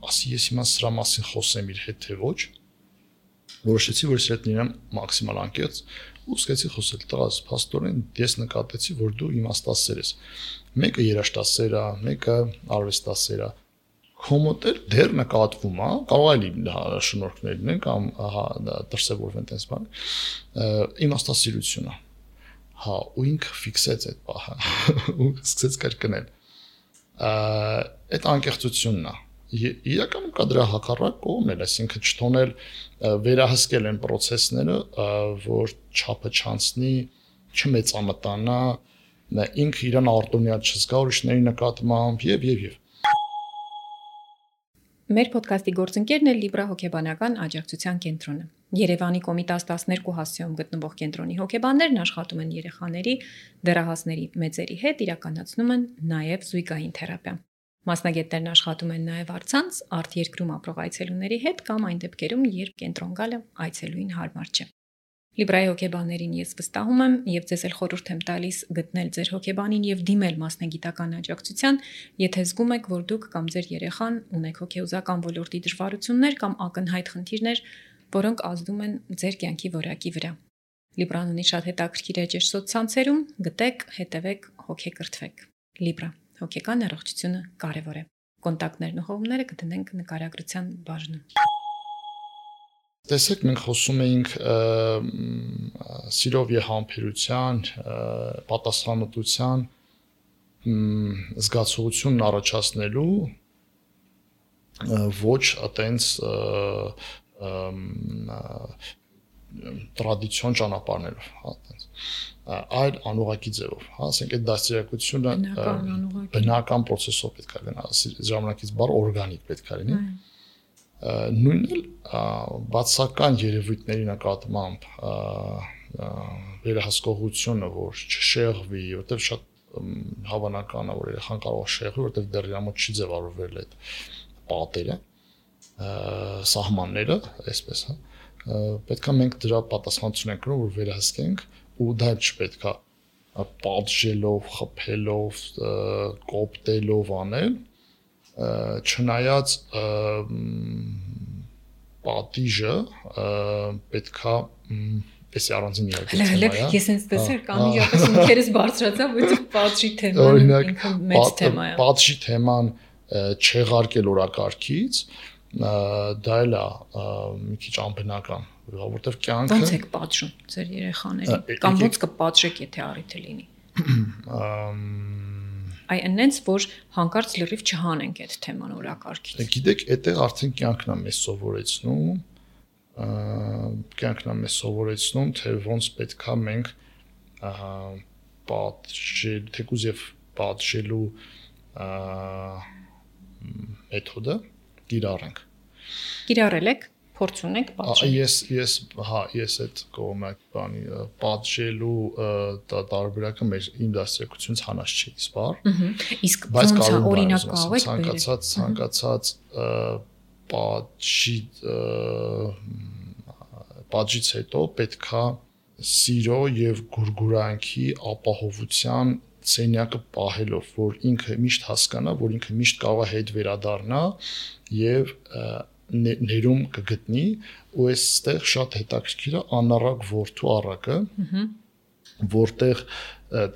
ասի ես հիմա սրա մասին խոսեմ իր հետ թե ոչ, որոշեցի, որ ես հետ լինեմ մաքսիմալ անկեղծ ու սկսեցի խոսել տղաս, փաստորեն ես նկատեցի, որ դու իմաստասեր ես։ Մեկը երաժշտասեր է, մեկը արվեստասեր է։ Կոմոդել դեռ նկատվում է, կարող է լինել շնորհքներ լինեն կամ ահա դրսևորվեն տես բան։ Իմաստասիրությունը։ Հա, ու ինքը ֆիքսեց այդ բանը ու սկսեց կրկնել։ Այդ անկեղծությունն է, իրականում կա դրա հակառակ կողմն էլ, այսինքն չթողնել վերահսկել են process-ները, որ չափը չանցնի, չմեծամտանա, ինքը իրան արտոնյալ չզգա ուրիշների նկատմամբ եւ եւ եւ
Մեր ոդքասթի գործընկերն է Libra հոգեբանական աջակցության կենտրոնը։ Երևանի Կոմիտաս տասներկու հասցեում գտնվող կենտրոնի հոգեբաններն աշխատում են երեխաների, դեռահասների մեծերի հետ, իրականացնում են նաև զույգային թերապիա։ Մասնագետներն աշխատում են նաև առցանց արտերկրում ապրող այցելուների հետ կամ այն դեպքերում, երբ կենտրոն գալը այցելուին հարմար չէ։ Libra-ի հոգեբաններին ես վստահում եմ եւ ձեզ էլ խորհուրդ եմ տալիս գտնել ձեր հոգեբանին եւ դիմել մասնագիտական աջակցության, եթե զգում եք, որ դուք կամ ձեր երեխան ունեք հոգեուզական ոլորտի դժվարություններ կամ ակնհայտ խնդիրներ, որոնք ազդում են ձեր կյանքի որակի վրա։ Libra-ն ունի շատ հետաքրքիր էջեր սոցցանցերում, գտեք, հետևեք, հոգեկրթվեք։ Libra հոգեկան առողջությունը կարևոր է։ Կոնտակտներն ու հողումները կդնենք նկարագրության բաժնում։
Տեսեք, մենք խոսում էինք սիրով եւ համբերության, պատասխանատվության զգացողությունն առաջացնելու ոչ այտենց տրադիցիոն ճանապարհներով, հա, այտենց այլ անուղակի ձևով, հա, ասենք այդ դաստիարակությունը բնական process-ով պետք է լինի, ժամանակից բառ օրգանիկ պետք է լինի։ Նույնն էլ բացական երևույթների նկատմամբ վերահսկողությունը, որ չշեղվի, որտեղ շատ հավանական է, որ երեխան կարող է շեղվի, որտեղ դեռ իր մոտ չի ձևավորվել այդ պատերը, սահմանները, այսպես, հա, պետք է մենք դրա պատասխանատվություն ենք կրում, որ վերահսկենք, ու դա չպետք է պատժելով, խփելով, կոպտելով անել, չնայած պատիժը պետքա էսի առանձին իհարկե թեմա է։
Ես ինձ տեսար կանիժապես ինքերս բարձրացա, որովհետև պատժի թեման ինքը մեծ թեմա է։
Պատժի թեման չեղարկել օրակարգից, դա էլ է մի քիչ անբնական, որովհետև կյանքը
ո՞նց եք պատժում ձեր երեխաներին, կամ ո՞նց կպատժեք, եթե առիթ լինի։ Այ այնենց, որ հանկարծ լրիվ չհանենք այդ թեման օրակարգից։
Գիտեք, այդտեղ արդեն կյանքն է մեզ սովորեցնում, կյանքն է մեզ սովորեցնում, թե ոնց պետքա մենք պատժել, թեկուզ եւ պատժելու մեթոդը կիրառենք։
Կիրառել եք, փորձ ունեք պատժել։
Ես ես հա, ես այդ կողմը բանի պատժելու տարբերակը մեր իմ դաստիարակությունից հանած չի, սպար։
Իսկ ոնց է օրինակ կարող եք
ցանկացած ցանկացած պատժի պատժից հետո պետքա սիրո եւ գուրգուրանքի ապահովության սենյակը պահելով, որ ինքը միշտ հասկանա, որ ինքը միշտ կարող է հետ վերադառնա եւ ներում կգտնի, ու այստեղ շատ հետաքրքիր է անառակ որդու առակը, որտեղ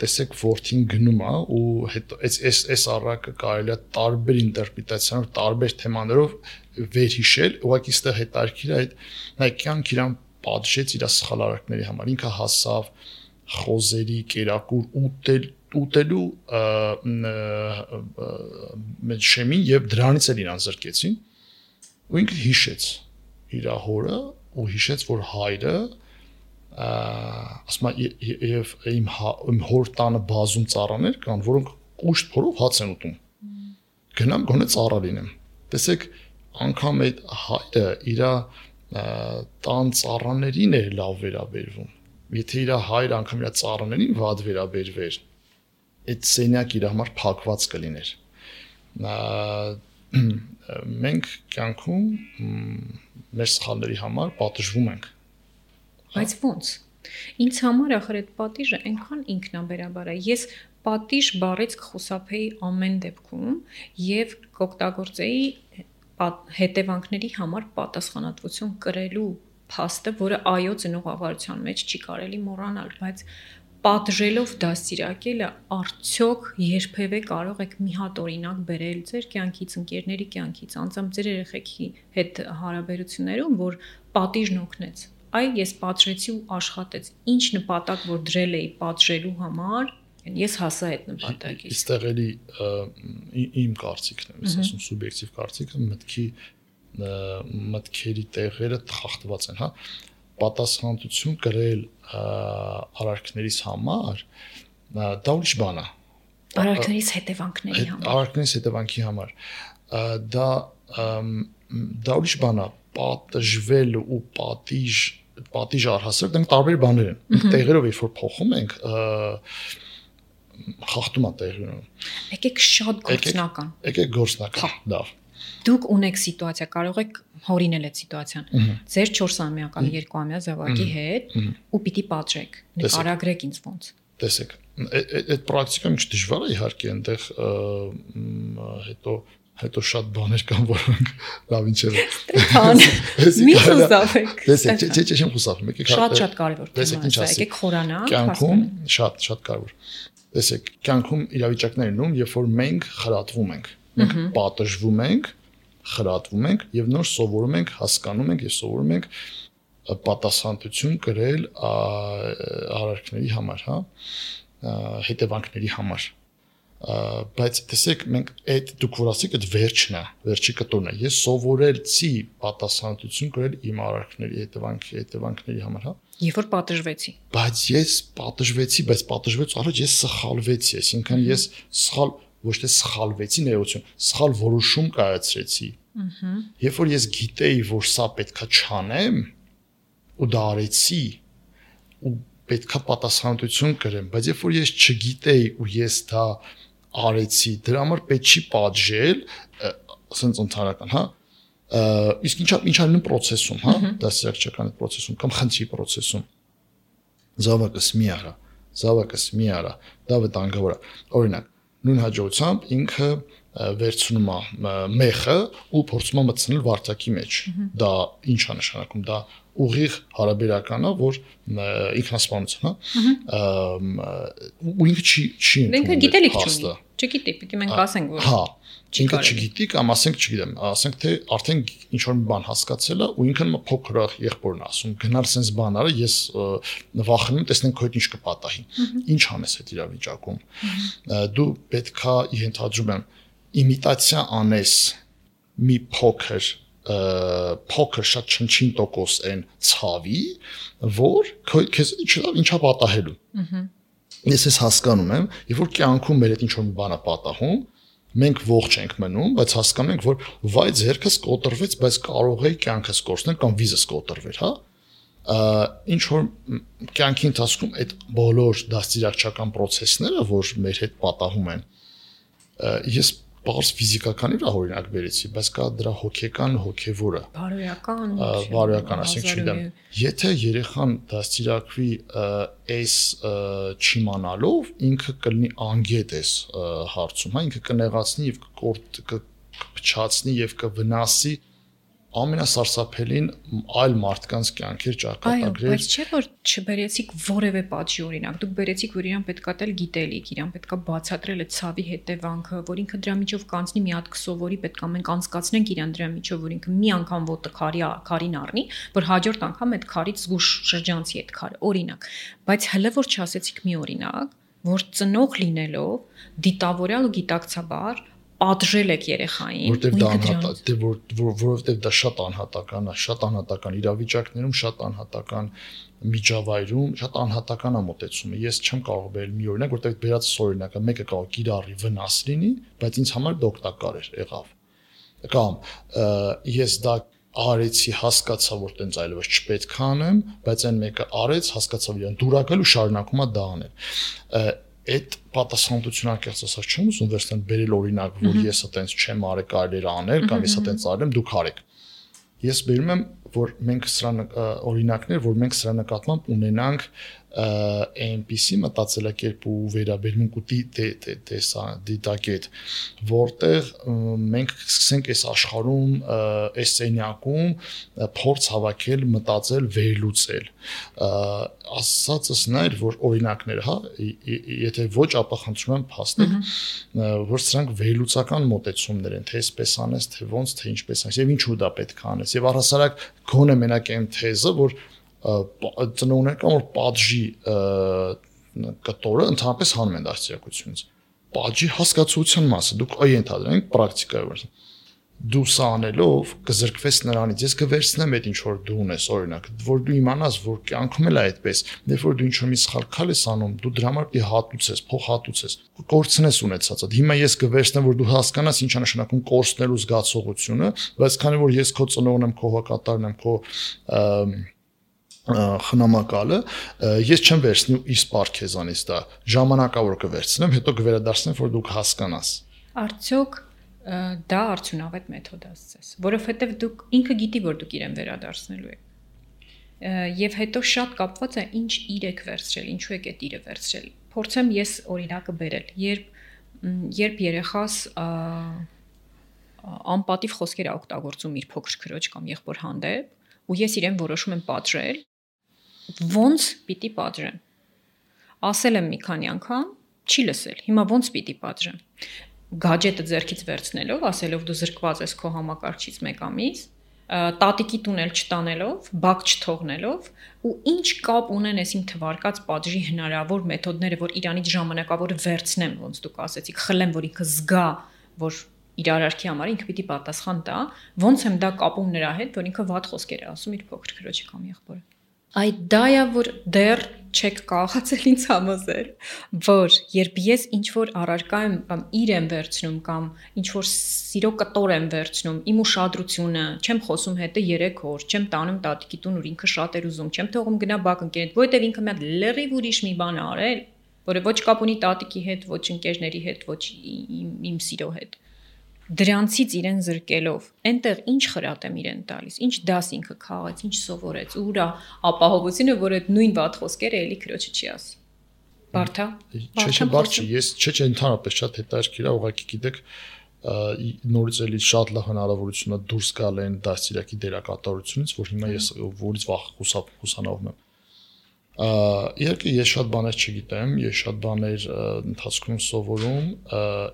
տեսեք որդին գնում է ու հետո այս այս այս առակը կարելի է տարբեր ինտերպրետացիաներով, տարբեր թեմաներով վերհիշել, ուղղակի այստեղ հետաքրքիր է այդ նայ կյանք իրան պատժեց իր սխալ արարքների համար, ինքը հասավ խոզերի կերակուր ուտել ուտելու մեջ շեմին եւ դրանից էլ իրան զրկեցին ու ինքը հիշեց իր հորը ու հիշեց, որ հայրը ասма եւ իմ իմ հոր տանը բազում ծառաներ կան, որոնք կուշտ փորով հաց են ուտում։ Գնամ գոնե ծառա լինեմ։ Տեսեք, անգամ այդ հայրը իր տան ծառաներին էր լավ վերաբերվում։ Եթե իր հայրը անգամ իր ծառաներին վատ վերաբերվեր, այդ սենյակը իր համար փակված կլիներ։ Մենք կյանքում մեր սխալների համար պատժվում ենք։
Բայց ո՞նց։ Ինձ համար ախր այդ պատիժը այնքան ինքնաբերաբար է։ Ես պատիժ բառից կխուսափեի ամեն դեպքում եւ կօգտագործեի հետևանքների համար պատասխանատվություն կրելու փաստը, որը այո ծնողավարության մեջ չի կարելի մոռանալ, բայց պատժելով դաստիարակելը արդյոք երբևէ կարող եք մի հատ օրինակ բերել ձեր կյանքից, ընկերների կյանքից, անձամբ ձեր երեխեքի հետ հարաբերություններում, որ պատիժն օգնեց։ Այ ես պատժեցի ու աշխատեց։ Ինչ նպատակ որ դրել էի պատժելու համար, Ես հասա այդ նպատակից։
Այստեղ էլի իմ կարծիքն է, ես ասում սուբյեկտիվ կարծիքը, մտքի մտքերի տեղերը խախտված են, հա։ Պատասխանատվություն կրել արարքներիս համար դա ուրիշ բան է։
Արարքներիս հետևանքների համար։
Արարքներիս հետևանքի համար դա դա ուրիշ բան է, պատժվել ու պատիժ պատիժ առհասարակ դրանք տարբեր բաներ են։ Մենք տեղերով երբ որ փոխում ենք խախտում է տեղի ունենում։
Եկեք շատ գործնական։
Եկեք գործնական, լավ։
Դուք ունեք սիտուացիա, կարող եք հորինել այդ սիտուացիան։ Ձեր չորսամյա կամ երկուամյա զավակի հետ ու պիտի պատժեք։ Նկարագրեք ինձ ոնց։
Տեսեք, այդ պրակտիկան ինչ դժվար է իհարկե, այնտեղ հետո հետո շատ բաներ կան, որոնք լավ ինչեր են։
Ստրեփան։ Մի խուսափեք։
Տեսեք, չէ, չէ, չեմ խուսափում, եկեք
շատ-շատ կարևոր թեմա է, եկեք խորանանք,
կյանքում շատ շատ կարևոր։ Տեսեք, կյանքում իրավիճակներ լինում, երբ որ մենք խրատվում ենք, մենք պատժվում ենք, խրատվում ենք եւ նոր սովորում ենք, հասկանում ենք եւ սովորում ենք պատասխանատվություն կրել արարքների համար, հա, հետևանքների համար։ Բայց տեսեք, մենք այդ դուք որ ասեք, այդ վերջն է, վերջի կտորն է։ Ես սովորելցի պատասխանատվություն կրել իմ արարքների հետևանքի հետևանքների համար, հա։
Երբ որ պատժվեցի։
Բայց ես պատժվեցի, բայց պատժվեց առաջ ես սխալվեցի, այսինքն ես սխալ ոչ թե սխալվեցի ներողություն, սխալ որոշում կայացրեցի։ Երբ որ ես գիտեի, որ սա պետքա չանեմ, ու դա արեցի, ու պետքա պատասխանատվություն կրեմ, բայց երբ որ ես չգիտեի ու ես դա արեցի, դրա համար պետք չի պատժել, ասենց ընդհանրական, հա, իսկ ինչա ինչա լինում process-ում, հա, դասերակցական այդ process-ում կամ խնդրի process-ում։ Զավակս մի արա, զավակս մի արա, դա վտանգավոր է։ Օրինակ, նույն հաջողությամբ ինքը վերցնում է մեխը ու փորձում է մտցնել վարդակի մեջ։ Դա ինչ է նշանակում, դա ուղիղ հարաբերական է, որ ինքնասպանություն, հա, ու ինքը չի չի
ընդունում։ Ինքը գիտելիք չունի։ Չգիտի, պիտի մենք ասենք, որ
հա, ինքը չգիտի կամ ասենք, չգիտեմ, ասենք թե արդեն ինչ որ մի բան հասկացել է ու ինքն փոքր եղբորն է ասում, գնալ sense բան արա, ես վախենում տեսնենք քո հետ ինչ կպատահի։ Ինչ անես այդ իրավիճակում։ Դու պետքա ենթադրում եմ իմիտացիա անես մի փոքր փոքր շատ չնչին տոկոս են ցավի, որ քեզ ինչա պատահելու։ Ես ես հասկանում եմ, երբ որ կյանքում մեր հետ ինչ որ մի բան է պատահում, մենք ողջ ենք մնում, բայց հասկանում ենք, որ վայ ձերքս կոտրվեց, բայց կարող էի կյանքս կորցնել կամ վիզս կոտրվեր, հա։ Ինչ որ կյանքի ընթացքում այդ բոլոր դաստիարակչական process-ները, որ մեր հետ պատահում են, ես բարձ ֆիզիկական իր օրինակ բերեցի, բայց կա դրա հոգեկան, հոգևորը։
Բարոյական,
բարոյական, ասենք չգիտեմ, եթե երեխան դաստիարակվի այս չիմանալով, ինքը կլինի անգետ էս հարցում, հա, ինքը կնեղացնի եւ կփչացնի եւ կվնասի ամենասարսափելին այլ մարդկանց կյանքեր ճակատագրեր։
Այո, բայց չէ՞ որ չբերեցիք որևէ պատժի օրինակ։ Դուք բերեցիք, որ իրան պետքա տել գիտելիք, իրան պետքա բացատրել այդ ցավի հետևանքը, որ ինքը դրա միջով կանցնի, մի հատ կսովորի, պետքա մենք անցկացնենք իրան դրա միջով, որ ինքը մի անգամ ոտը քարի քարին առնի, որ հաջորդ անգամ այդ քարից զգուշ շրջանցի այդ քարը, օրինակ։ Բայց հələ որ չասեցիք մի օրինակ, որ ծնող լինելով դիտավորյալ ու գիտակցաբար պատժել եք երեխային,
որտեվ դա անհատական, որովհետև դա շատ անհատական է, շատ անհատական իրավիճակներում, շատ անհատական միջավայրում, շատ անհատական է մոտեցումը։ Ես չեմ կարող բերել մի օրինակ, որտեվ բերած օրինակը մեկը կարող կիրառի վնաս լինի, բայց ինձ համար դա օգտակար էր, եղավ։ Կամ ես դա արեցի, հասկացա, որ տենց այլևս չպետք է անեմ, բայց այն մեկը արեց, հասկացավ իրան դուրակել ու շարունակում է դա անել։ Այդ պատասխանատվությունը անկեղծ ասած չեմ ուզում վերցնել բերել օրինակ, որ ես այտենց չեմ արել, կարելի է անել, կամ ես այտենց արել եմ, դուք արեք։ Ես բերում եմ, որ մենք սրա օրինակներ, որ մենք սրա նկատմամբ ունենանք այնպիսի մտածելակերպ ու վերաբերմունք ու դիտակետ, որտեղ մենք սկսենք այս աշխարհում, այս սենյակում փորձ հավաքել, մտածել, վերլուծել։ Ասածս նայր, որ օրինակներ, հա, եթե ոչ, ապա խնդրում եմ փաստեք, որ սրանք վերլուծական մոտեցումներ են, թե այսպես անես, թե ոնց, թե ինչպես անես, եւ ինչու դա պետք է անես։ Եվ առհասարակ գոնե մենակ այն թեզը, որ ծնողներ կամ որ պատժի կտորը ընդհանրապես հանում են դաստիարակությունից։ Պատժի հասկացության մասը դուք այ ենթադրենք պրակտիկայով դու սա անելով կզրկվես նրանից, ես կվերցնեմ այդ ինչ որ դու ունես, օրինակ, որ դու իմանաս, որ կյանքում էլ է այդպես, երբ որ դու ինչ-որ մի սխալ քայլ ես անում, դու դրա համար պիտի հատուցես, փող հատուցես, կորցնես ունեցածդ։ Հիմա ես կվերցնեմ, որ դու հասկանաս ինչ է նշանակում կորցնելու զգացողությունը, բայց քանի որ ես քո ծնողն եմ, քո հակատարն եմ, քո խնամակալը, ես չեմ վերցնի իսպար քեզանից դա, ժամանակավոր կվերցնեմ, հետո կվերադարձնեմ, որ դուք հասկանաս։
Արդյոք դա արդյունավետ մեթոդ է, ասես, որովհետև դուք ինքը գիտի, որ դուք իրեն վերադարձնելու եք։ Եվ հետո շատ կապված է ինչ իր եք վերցրել, ինչու եք այդ իրը վերցրել։ Փորձեմ ես օրինակը բերել, երբ երբ երեխաս անպատիվ խոսքեր է օգտագործում իր փոքր քրոջ կամ եղբոր հանդեպ, ու ես իրեն որոշում եմ պատժել, ոնց պիտի պատժեմ։ Ասել եմ մի քանի անգամ, չի լսել։ Հիմա ոնց պիտի պատժեմ։ Գաջետը ձեռքից վերցնելով, ասելով դու զրկված ես քո համակարգչից մեկ ամիս, տատիկի տունել չտանելով, բակ չթողնելով, ու ինչ կապ ունեն այս իմ թվարկած պատժի հնարավոր մեթոդները, որ իրանից ժամանակավոր վերցնեմ, ոնց դուք ասեցիք, խլեմ, որ ինքը զգա, որ իր արարքի համար ինքը պիտի պատասխան տա, ոնց եմ դա կապում նրա հետ, որ ինքը վատ խոսքեր է ասում իր փոքր քրոջի կամ եղբորը։ Այդ դա է, որ դեռ չեք կարողացել ինձ համոզել, որ երբ ես ինչ-որ առարկա եմ կամ իր եմ վերցնում կամ ինչ-որ սիրո կտոր եմ վերցնում, իմ ուշադրությունը, չեմ խոսում հետը երեք օր, չեմ տանում տատիկի տուն, որ ինքը շատ էր ուզում, չեմ թողում գնա բակ ընկերդ, որովհետև ինքը մի հատ լրիվ ուրիշ մի բան է արել, որը ոչ կապ ունի տատիկի հետ, ոչ ընկերների հետ, ոչ իմ, իմ սիրո հետ։ Դրանցից իրեն զրկելով, այնտեղ ինչ խրատ եմ իրեն տալիս, ինչ դաս ինքը քաղեց, ինչ սովորեց, ուրա ապահովությունը, որ այդ նույն վատ խոսքերը էլի քրոջը չի ասի։ Բարթա։
Չէ, չէ, բարդ չի, ես չէ, չէ, ընդհանրապես շատ հետաքրքիր է, ուղղակի գիտեք, նորից էլի շատ լավ հնարավորություն է դուրս գալ այն դաստիարակի դերակատարությունից, որ հիմա ես որից վախ հուսանավում եմ։ Իհարկե ես շատ բաներ չգիտեմ, ես շատ բաներ ընթացքում սովորում,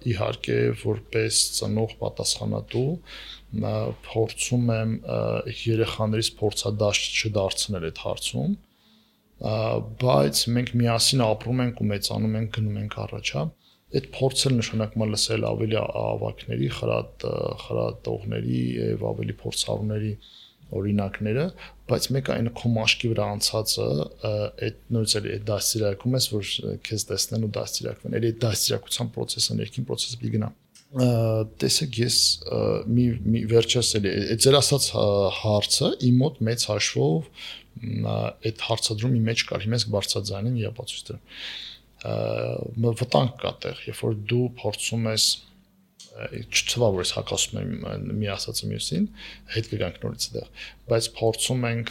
իհարկե որպես ծնող պատասխանատու փորձում եմ երեխաներից փորձադաշտ չդարձնել այդ հարցում, բայց մենք միասին ապրում ենք ու մեծանում ենք, գնում ենք առաջ, հա։ Այդ փորձը նշանակում է լսել ավելի ավագների, խրատ խրատողների եւ ավելի փորձառուների օրինակները, բայց մեկ այն քո մաշկի վրա անցածը այդ նույնիսկ էլ այդ դաստիարակում ես, որ քեզ տեսնեն ու դաստիարակվեն, էլ այդ դաստիարակության process-ը, ներքին process-ը պիտի գնա։ Տեսեք, ես մի մի վերջերս էլ այդ ձեր ասած հարցը իմ մոտ մեծ հաշվով այդ հարցադրումի մեջ կար, հիմա ես բարձրաձայնեմ եւ ապացույց դրեմ։ Վտանգ կա տեղ, երբ որ դու փորձում ես չթվա որ ես հակասում եմ մի ասածը մյուսին, հետ կգանք նորից այդտեղ, բայց փորձում ենք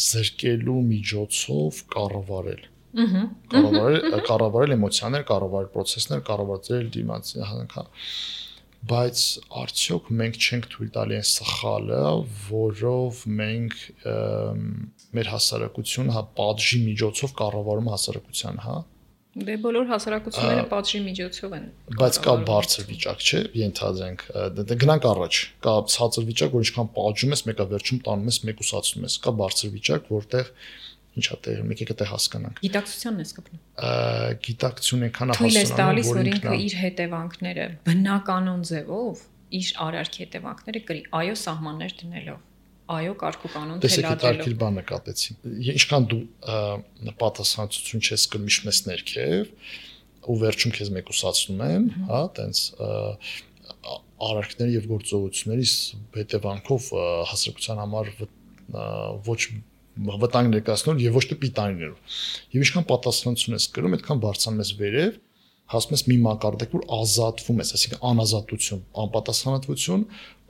զրկելու միջոցով կառավարել։ Կառավարել, կառավարել էմոցիաներ, կառավարել process-ներ, կառավարել դիմացի հանքա։ Բայց արդյոք մենք չենք թույլ տալի այն սխալը, որով մենք մեր հասարակությունը հա պատժի միջոցով կառավարում հասարակության, հա։
Դե բոլոր հասարակությունները պատժի միջոցով են։
Բայց կա բարձր վիճակ, չէ՞, ենթադրենք, գնանք առաջ, կա ցածր վիճակ, որ ինչքան պատժում ես, մեկը վերջում տանում ես, մեկուսացնում ես, կա բարձր վիճակ, որտեղ ինչա տեղ, մեկ եկեք դե հասկանանք։
Գիտակցությանն ես կպնում։
Գիտակցություն այնքան
հասունանում, որ ինքն տալիս, որ ինքը իր հետևանքները բնականon ձևով, իր արարքի հետևանքները կրի, այո, սահմաններ դնելով։ Այո, կարգուկանոն թելադրելով։
Տեսեք, հետաքրքիր բան նկատեցի։ Ինչքան դու պատասխանատվություն չես կրում մեզ ներքև, ու վերջում քեզ մեկուսացնում են, հա, տենց արարքների եւ գործողությունների հետևանքով հասարակության համար ոչ վտանգ ներկայացնող եւ ոչ թե պիտանիներով։ Եվ ինչքան պատասխանատվություն ես կրում, այդքան բարձրանում ես վերև, հասնում ես մի մակարդակ, որ ազատվում ես, այսինքն անազատություն, անպատասխանատվություն,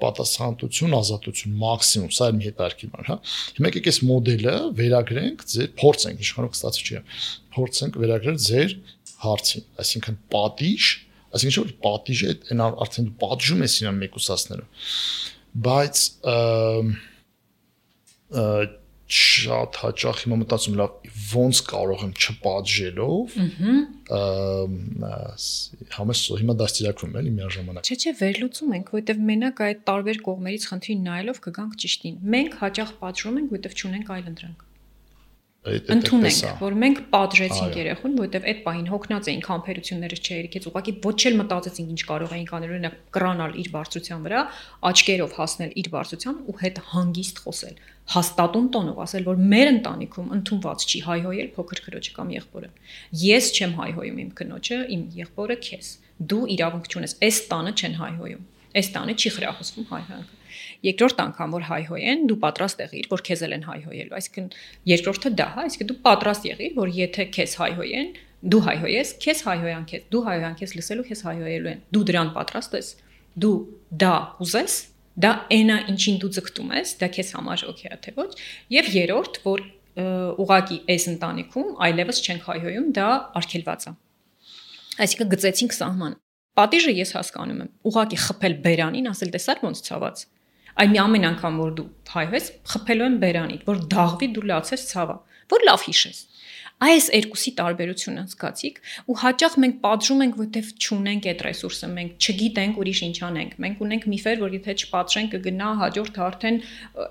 պատասխանատվություն, ազատություն, մաքսիմում, սա էլ մի հետաքրքիր բան, հա։ Հիմա եկեք այս մոդելը վերագրենք, ձեր փորձենք, իշխանող ստացի չի, փորձենք վերագրել ձեր հարցին, այսինքն պատիժ, այսինքն որ պատիժը այն արդեն դու պատժում ես իրան մեկուսացնելը, բայց շատ հաճախ հիմա մտածում լավ ոնց կարող եմ չպատժելով համես հիմա դաստիարակվում էլի միաժամանակ
չէ չէ վերլուծում ենք որովհետև մենակ այդ տարբեր կողմերից խնդրին նայելով կգանք ճիշտին մենք հաճախ պատժում ենք որովհետև չունենք այլ ընտրանք Ընդունենք, որ մենք պատժեցինք երեխուն, որովհետև այդ պահին հոգնած էինք, համբերությունները չերիքեց, ուղղակի ոչ էլ մտածեցինք ինչ կարող էինք անել, օրինակ կրանալ իր բարձրության վրա, աչքերով հասնել իր բարձրության ու հետ հանգիստ խոսել, հաստատուն տոնով ասել, որ մեր ընտանիքում ընդունված չի հայհոյել փոքր քրոջը կամ եղբորը։ Ես չեմ հայհոյում իմ քնոջը, իմ եղբորը քեզ։ Դու իրավունք չունես, այս տանը չեն հայհոյում։ Այս տանը չի խրախուսվում հայհոյանքը։ Երկրորդ անգամ որ հայհոյեն, դու պատրաստ եղիր, որ քեզ էլ են հայհոյելու։ Այսինքն երկրորդը դա, այսինքն դու պատրաստ եղիր, որ եթե քեզ հայհոյեն, դու հայհոյես, քեզ հայհոյան քեզ, դու հայհոյան քեզ լսելու, քեզ հայհոյելու են։ Դու դրան պատրաստ ես։ Դու դա ուզես, դա այնա ինչին դու ձգտում ես, դա քեզ համար օքեյ է թե ոչ։ Եվ երրորդ, որ ուղակի այս ընտանիքում այլևս չենք հայհոյում, դա արգելված է։ Այսինքն գծեցինք սահման։ Պատիժը ես հասկանում եմ, ուղակի խփել բերանին, ասել տեսար ոնց ցավաց։ Այ մի ամեն անգամ որ դու հայհոյես, խփելու եմ բերանիդ, որ դաղվի դու լացես ցավա, որ լավ հիշես։ Այս երկուսի տարբերությունը զգացիք ու հաճախ մենք պատժում ենք, որտեվ չունենք այդ ռեսուրսը, մենք չգիտենք ուրիշ ինչ անենք։ Մենք ունենք միֆեր, որ եթե չպատժենք կգնա հաջորդը արդեն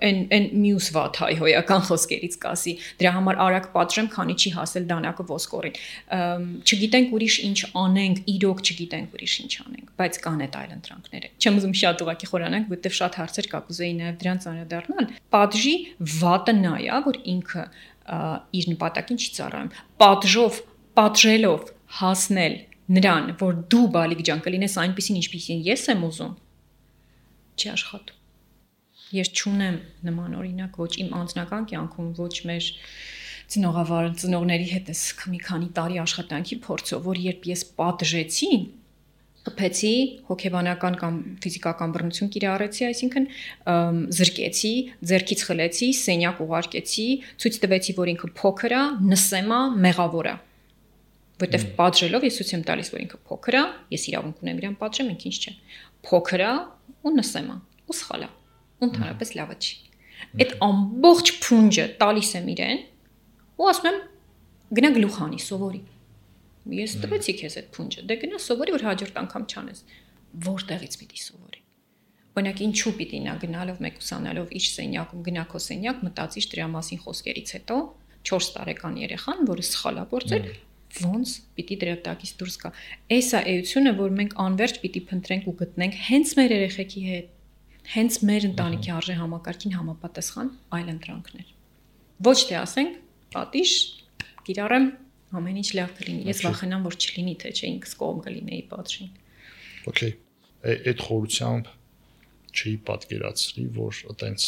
այն այն մյուս վատ հայհոյական խոսքերից կասի։ Դրա համար արագ պատժեմ, քանի չի հասել դանակը ոսկորին։ Չգիտենք ուրիշ ինչ անենք, իրոք չգիտենք ուրիշ ինչ անենք, բայց կան այդ այլընտրանքները։ Չեմ ուզում շատ ուղղակի խորանանք, որտեվ շատ հարցեր կա, կուզեի նաև դրանց անդրադառնալ։ Պատժի վատը նա է, որ ինքը իր նպատակին չի ծառայում։ Պատժով, պատժելով հասնել նրան, որ դու բալիկ ջան կլինես այնպեսին, ինչպեսին ես եմ ուզում, չի աշխատում։ Ես չունեմ նման օրինակ ոչ իմ անձնական կյանքում, ոչ մեր ծնողավար ծնողների հետ էս մի քանի տարի աշխատանքի փորձով, որ երբ ես պատժեցի, խփեցի, հոգեբանական կամ ֆիզիկական բռնություն կիրառեցի, այսինքն զրկեցի, ձեռքից խլեցի, սենյակ ուղարկեցի, ցույց տվեցի, որ ինքը փոքր է, նսեմ է, մեղավոր է։ Որտեվ պատժելով ես ցույց եմ տալիս, որ ինքը փոքր է, ես իրավունք ունեմ իրան պատժեմ, ինքը ինչ չէ։ Փոքր է ու նսեմ է, ու սխալ է, ու ընդհանրապես լավը չի։ Այդ ամբողջ փունջը տալիս եմ իրեն, ու ասում եմ գնա գլուխ հանի, սովորի։ Ես տվեցի քեզ այդ փունջը, դե գնա սովորի, որ հաջորդ անգամ չանես։ Որտեղից պիտի սովորի։ Օրինակ ինչու պիտի նա գնալով մեկուսանալով իր սենյակում գնա քո սենյակ, մտածիր դրա մասին խոսքերից հետո չորս տարեկան երեխան, որը սխալ է գործել, ոնց պիտի դրա տակից դուրս գա։ Էս է էությունը, որ մենք անverջ պիտի փնտրենք ու գտնենք հենց մեր երեխեքի հետ, հենց մեր ընտանիքի արժե համակարգին համապատասխան այլ ընտրանքներ։ Ոչ թե ասենք, պատիժ, կիրառեմ, ամեն ինչ լավ կլինի։ Ես վախենամ, որ չլինի, թե չէ ինքս կողմ կլինեի պատժին։
Okay, այդ խորությամբ չի պատկերացրի, որ այտենց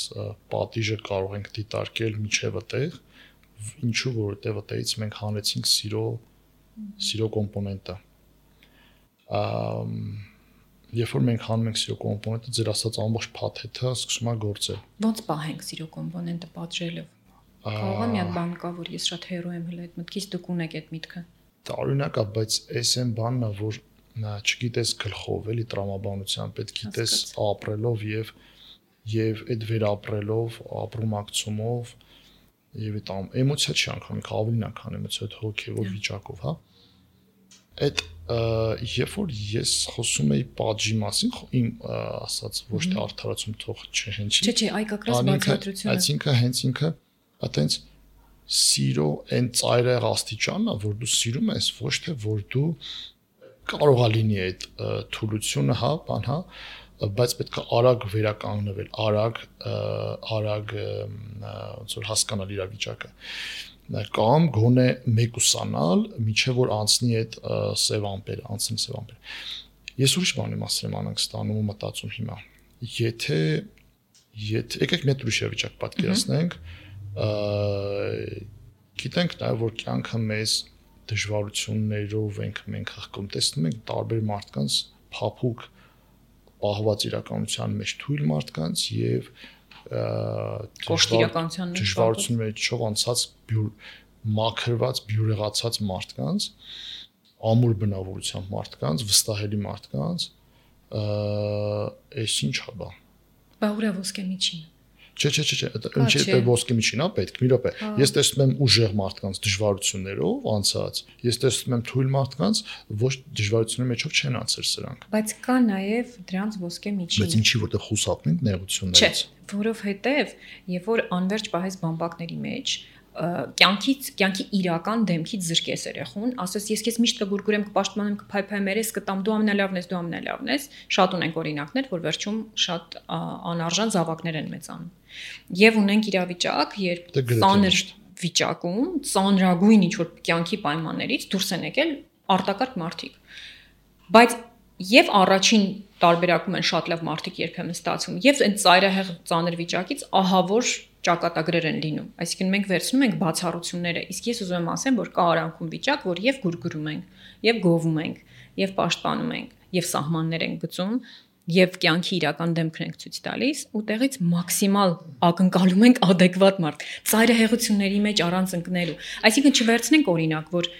պատիժը կարող ենք դիտարկել միջև այդտեղ, ինչու որտեղ այդտեղից մենք հանեցինք սիրո սիրո կոմպոնենտը։ Ամ Երբ որ մենք հանում ենք սիրո կոմպոնենտը, ձեր ասած ամբողջ փաթեթը սկսում է գործել։
Ոնց պահենք սիրո կոմպոնենտը պատժելով։ Կարող է մի հատ բան կա, որ ես շատ հերո եմ հենց այդ մտքից դուք ունեք այդ միտքը։
Տարօրինակ է, բայց էս այն բանն է, որ չգիտես գլխով, էլի տրամաբանության պետք գիտես ապրելով եւ եւ այդ վերապրելով, ապրումակցումով եւ այդ էմոցիա չի անգամ ավելին անգամ էմոցիա, այդ հոգեվոր վիճակով, հա։ Այդ երբ որ ես խոսում եի պատժի մասին, իմ ասած ոչ թե արդարացում թող չհնչի։
Չէ, չէ, այ կակրաս բացատրությունը։
Այսինքն հենց ինքը այտենց սիրո այն ծայրահեղ աստիճանն է, որ դու սիրում ես, ոչ թե որ դու կարող է լինի այդ թուլությունը, հա, բան, հա, բայց պետք է արագ վերականգնվել, արագ արագ ոնց որ հասկանալ իրավիճակը կամ գոնե մեկուսանալ, միջև որ անցնի այդ սև ամպերը, անցնի սև ամպերը։ Ես ուրիշ բանի մասին եմ անանք ստանում ու մտածում հիմա։ Եթե եթե եկեք մի ուրիշ վիճակ պատկերացնենք, գիտենք նաև որ կյանքը մեզ դժվարություններով ենք մենք հղկում, տեսնում ենք տարբեր մարդկանց փափուկ պահված իրականության մեջ թույլ մարդկանց եւ
կոշտիրականության մեջ
դժվարություն մեջով անցած մաքրված բյուրեղացած մարդկանց ամուր բնավորությամբ մարդկանց վստահելի մարդկանց այս ինչ է բա
բա ուրա ոսկե միջին
Չէ, չէ, չէ, ինչի՞ է ոսկե միջին, հա, պետք, մի րոպե։ Ես տեսնում եմ ուժեղ մարդկանց դժվարություններով անցած, ես տեսնում եմ թույլ մարդկանց, ոչ դժվարությունների մեջով չեն անցել սրանք։
Բայց կա նաև դրանց ոսկե միջին։
Բայց ինչի՞ որտեղ խուսափնենք նեղություններից։
Չէ, որովհետև երբ որ անverջ պահես բամբակների մեջ, կյանքից, կյանքի իրական դեմքից զրկես երեխուն, ասես ես քեզ միշտ կգուրգուրեմ, կպաշտպանեմ, կփայփայեմ երես, կտամ դու ամենալավն ես, դու ամենալավն ես, շատ ունենք օրինակներ, որ վերջում շատ անարժան զավակներ են մեծանում։ Եվ ունենք իրավիճակ, երբ ծանր վիճակում, ծանրագույն ինչ որ կյանքի պայմաններից դուրս են եկել արտակարգ մարդիկ։ Բայց եւ առաջին տարբերակում են շատ լավ մարդիկ երբեմն ստացվում, եւ այն ծայրահեղ ծանր վիճակից ահավոր ճակատագրեր են լինում։ Այսինքն մենք վերցնում ենք բացառությունները, իսկ ես ուզում եմ ասեմ, որ կա արանքում վիճակ, որ եւ գուրգուրում ենք, եւ գովում ենք, եւ պաշտպանում ենք, եւ սահմաններ ենք գծում, եւ կյանքի իրական դեմքն ենք ցույց տալիս, ու տեղից մաքսիմալ ակնկալում ենք adekvat մարդ։ Ծայրահեղությունների մեջ առանց ընկնելու։ Այսինքն չվերցնենք օրինակ, որ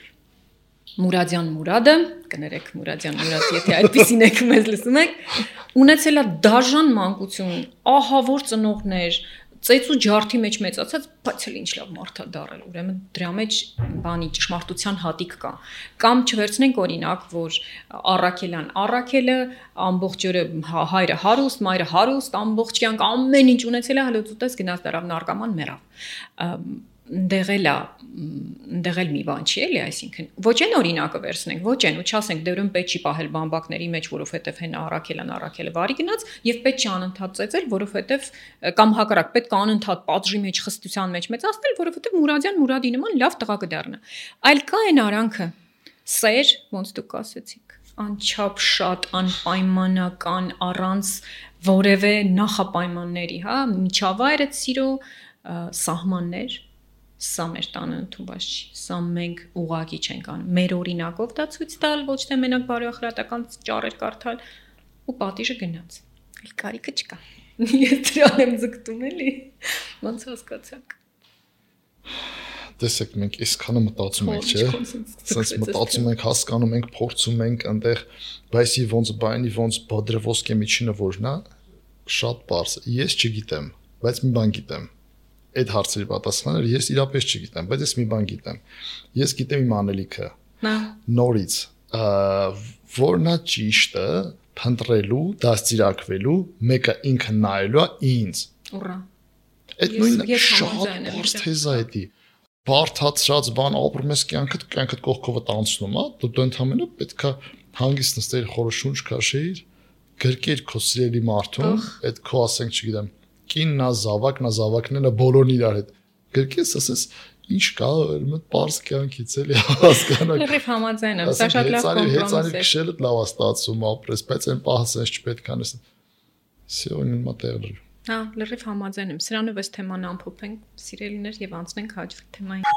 Մուրադյան Մուրադը, կներեք Մուրադյան Մուրադ, եթե այդպեսին եք մեզ լսում եք, ունեցել է դաժան մանկություն, ահավոր ծնողներ, ծեծու ջարդի մեջ մեծացած, բայց էլ ինչ լավ մարդ է դառել, ուրեմն դրա մեջ բանի ճշմարտության հատիկ կա։ Կամ չվերցնենք օրինակ, որ Առաքելյան, Առաքելը ամբողջ օրը հայրը հարուստ, մայրը հարուստ, ամբողջ կյանք ամեն ինչ ունեցել է, հələ ուտես գնաց դարավ նարկաման մեռավ։ Դեղել է, դեղել մի բան չի էլի, այսինքն ոչ այն օրինակը վերցնենք, ոչ այն ու չասենք դերում պետք չի պահել բամբակների մեջ, որովհետև հեն Առաքելան Առաքելը վարի գնաց եւ պետք չի անընդհատ ծեծել, որովհետև կամ հակառակ պետք է անընդհատ պատժի մեջ խստության մեջ մեծացնել, որովհետև Մուրադյան Մուրադի նման լավ տղա կդառնա։ Այլ կա այն արանքը սեր, ոնց դուք ասեցիք, անչափ շատ անպայմանական առանց որևէ նախապայմանների, հա, միջավայրը սիրո սահմաններ Սա մեր տանը ընդունված չի, սա մենք ուղղակի չենք անում։ Մեր օրինակով դա ցույց տալ, ոչ թե մենակ բարոյախրատական ճառեր կարդալ ու պատիժը գնաց։ Այլ կարիքը չկա։ Ես դրան եմ ձգտում էլի։ Ոնց հասկացաք։
Տեսեք, մենք այսքանը մտածում ենք, չէ՞։ Սենց մտածում ենք, հասկանում ենք, փորձում ենք այնտեղ, բայց ի ոնց բանի, ոնց բադրվոսկե միջինը որն է, շատ པարզ։ Ես չգիտեմ, բայց մի բան գիտեմ։ Այդ հարցերի պատասխանը ես իրապես չգիտեմ, բայց ես մի բան գիտեմ։ Ես գիտեմ իմ անելիքը։ Նորից, որն է ճիշտը, փնտրելու, դաստիարակվելու, մեկը ինքը նայելու է ինձ։
Ուռա։
Այդ նույնը շատ բարձ թեզա է դի։ Բարթացած բան ապրում ես կյանքդ, կյանքդ կողքովդ անցնում, հա, դու ընդհանրապես պետքա հանգիստ նստել, խորը շունչ քաշեիր, գրկեր քո սիրելի մարդուն, այդ քո ասենք, չգիտեմ, կիննա, զավակնա, զավակներն բոլորն իրար հետ։ Գրկես, ասես, ինչ կա, մտ པարզ կյանքից էլի հասկանաք։
Լրիվ համաձայն եմ, սա շատ լավ կոմպրոմիս է։
Հեծանի քշելը լավ է ստացվում ապրես, բայց այն պահը sense չպետք է անես։ Սիոն իմ մտերել։
Հա, լրիվ համաձայն եմ։ Սրանով էս թեման ամփոփենք, սիրելիներ, եւ անցնենք հաջորդ թեմային։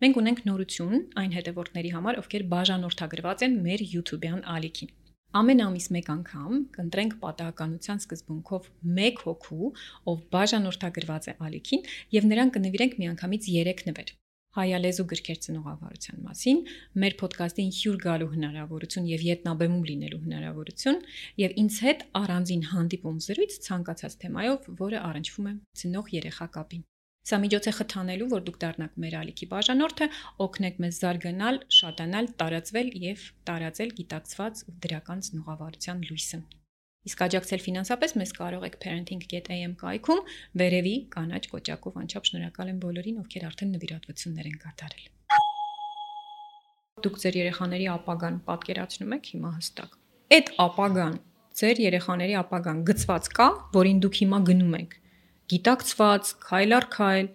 Մենք ունենք նորություն այն հետևորդների համար, ովքեր բաժանորդագրված են մեր YouTube-յան ալիքին։ Ամեն ամիս մեկ անգամ կընտրենք պատահականության սկզբունքով մեկ հոգու, ով բաժանորդագրված է ալիքին, եւ նրան կնվիրենք միանգամից երեք նվեր։ Հայալեզու գրքեր ծնողավարության մասին, մեր ոդկասթին հյուր գալու հնարավորություն եւ ետնաբեմում լինելու հնարավորություն եւ ինձ հետ առանձին հանդիպում զրույց ցանկացած թեմայով, որը առնչվում է ծնող երեխա կապին։ Սա միջոց է խթանելու, որ դուք դառնաք մեր ալիքի բաժանորդը, օգնեք մեզ զարգանալ, շատանալ, տարածվել եւ տարածել գիտակցված ու դրական ծնողավարության լույսը։ Իսկ աջակցել ֆինանսապես մեզ կարող եք parenting dot a m կայքում, վերևի կանաչ կոճակով անչափ շնորհակալ եմ բոլորին, ովքեր արդեն նվիրատվություններ են կատարել։ Դուք ձեր երեխաների ապագան պատկերացնում եք հիմա հստակ։ Այդ ապագան, ձեր երեխաների ապագան գծված կա, որին դուք հիմա գնում եք։ Գիտակցված, քայլ առ քայլ,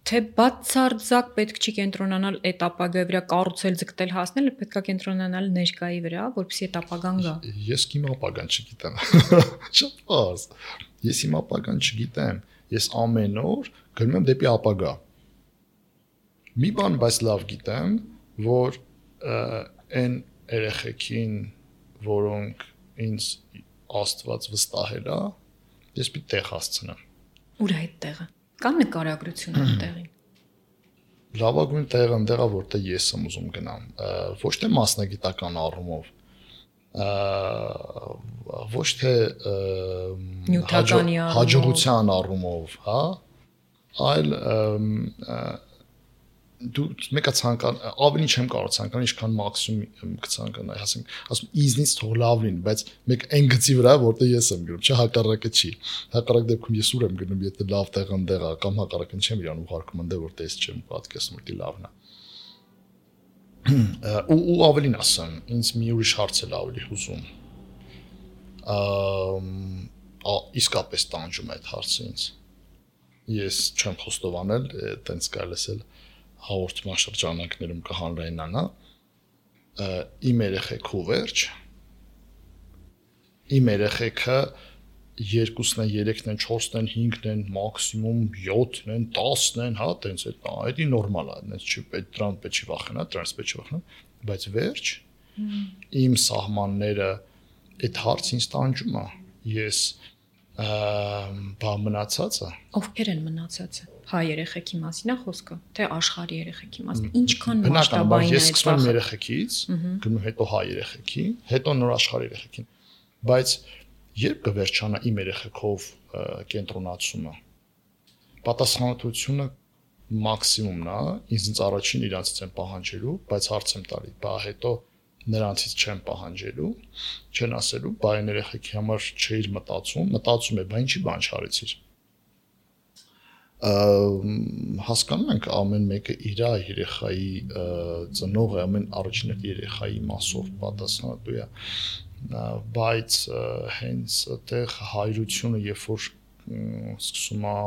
թե բացարձակ պետք չի կենտրոնանալ այդ ապագայի վրա, կառուցել, ձգտել, հասնել, պետք է կենտրոնանալ ներկայի վրա, որպեսզի այդ ապագան գա։
Ես իմ ապագան չգիտեմ։ Շատ բարձ։ Ես իմ ապագան չգիտեմ։ Ես ամեն օր գնում եմ դեպի ապագա։ Մի բան բայց լավ գիտեմ, որ այն երեխեքին, որոնք ինձ Աստված վստահել է, ես պիտի տեղ հասցնեմ։
Ուր է այդ տեղը։ Կա նկարագրություն այդտեղին։
Լավագույն տեղը այնտեղ է, որտեղ ես եմ ուզում գնամ, ոչ թե մասնագիտական առումով, ոչ թե հաջողության առումով, հա, այլ դու մեկը ցանկան ավելի չեմ կարող ցանկանալ ինչքան մաքսիմում կցանկանայի, ասենք, ասում իզնից թող լավ լինի, բայց մեկ այն գծի վրա, որտեղ ես եմ գնում, չէ, հակառակը չի։ Հակառակ դեպքում ես ուր եմ գնում, եթե լավ տեղ ընդեղ է, կամ հակառակն չեմ իրան ուղարկում ընդեղ, որտեղ ես չեմ պատկերացնում, որ դի լավն է։ Ու ու ավելին ասեմ, ինձ մի ուրիշ հարց էլ ավելի հուզում։ Ա իսկապես տանջում է այդ հարցը ինձ։ Ես չեմ խոստովանել, այտենց կարելի է հաղորդման շրջանակներում կհանրայնանա իմ երեխեքու վերջ իմ երեխեքը երկուսն են, երեքն են, չորսն են, հինգն են, մաքսիմում յոթն են, տասն են, հա, տենց է, դա նորմալ է, դες չի պետք դրան պետք չի վախենալ, դրանից պետք չի վախենալ, բայց վերջ իմ սահմանները այդ հարցին տանջում է, ես բա մնացածը
ովքեր են մնացածը հայ երեխեքի մասին է խոսքը թե աշխարհի երեխեքի մասին ինչքան մասշտաբային է
այս բանը ես երեխեքից գնում հետո հայ երեխեքի հետո նոր աշխարհի երեխեքին բայց երբ կվերջանա իմ երեխեքով կենտրոնացումը պատասխանատվությունը մաքսիմումն է ինձ առաջին իրանցից եմ պահանջելու բայց հարց եմ տալի բա հետո նրանցից չեմ պահանջելու, չեն ասելու, բայ երեխեքի համար չէիր մտածում, մտածում է, բա ինչի բան չարեցիր։ Հասկանում ենք ամեն մեկը իր երեխայի ծնողը, ամեն առաջին երեխայի մասով պատասխանատու է, բայց հենց այդտեղ հայրությունը, երբ որ սկսում է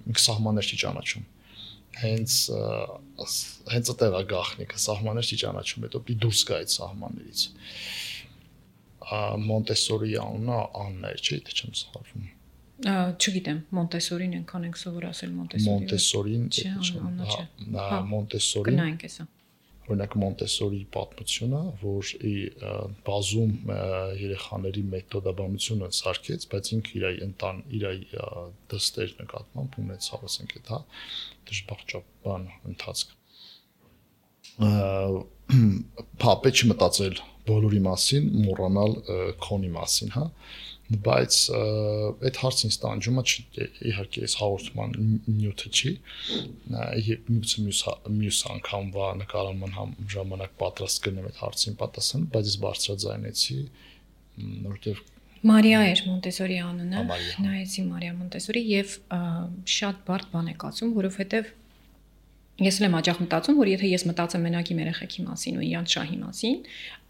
ինքը սահմաններ չի ճանաչում։ Հենց հենց այդտեղ է գաղտնիքը սահմաններ չի ճանաչում հետո պիտի դուրս գա այդ սահմաններից Մոնտեսորի անունը Աննա էր չէ՞ թե չեմ սխալվում
չգիտեմ Մոնտեսորին ենքան ենք սովոր ասել Մոնտեսորի
Մոնտեսորին Մոնտեսորին
կնայենք էսա
օրինակ Մոնտեսորի պատմությունը որ բազում երեխաների մեթոդաբանությունը սարքեց բայց ինքը իր ընտան իր դստեր նկատմամբ ունեցավ ասենք այդ հա դժբախտաբան ընթացք փապե չմտածել բոլորի մասին մոռանալ քոնի մասին հա բայց այդ հարցին ստանջումը իհարկե այս հաղորդման նյութը չի միգուցե մյուս մյուս անգամվա նկարահանման ժամանակ պատրաստ կնեմ այդ հարցին պատասխան բայց ես բարձրաձայնեցի որովհետև
Մարիա էր Մոնտեսորի անունը նայեցի Մարիա Մոնտեսորի եւ շատ բարդ բան եք ասում որովհետեւ ես էլ եմ աջախ մտածում որ եթե ես մտածեմ մենակ իմ երեխեքի մասին ու իրանց շահի մասին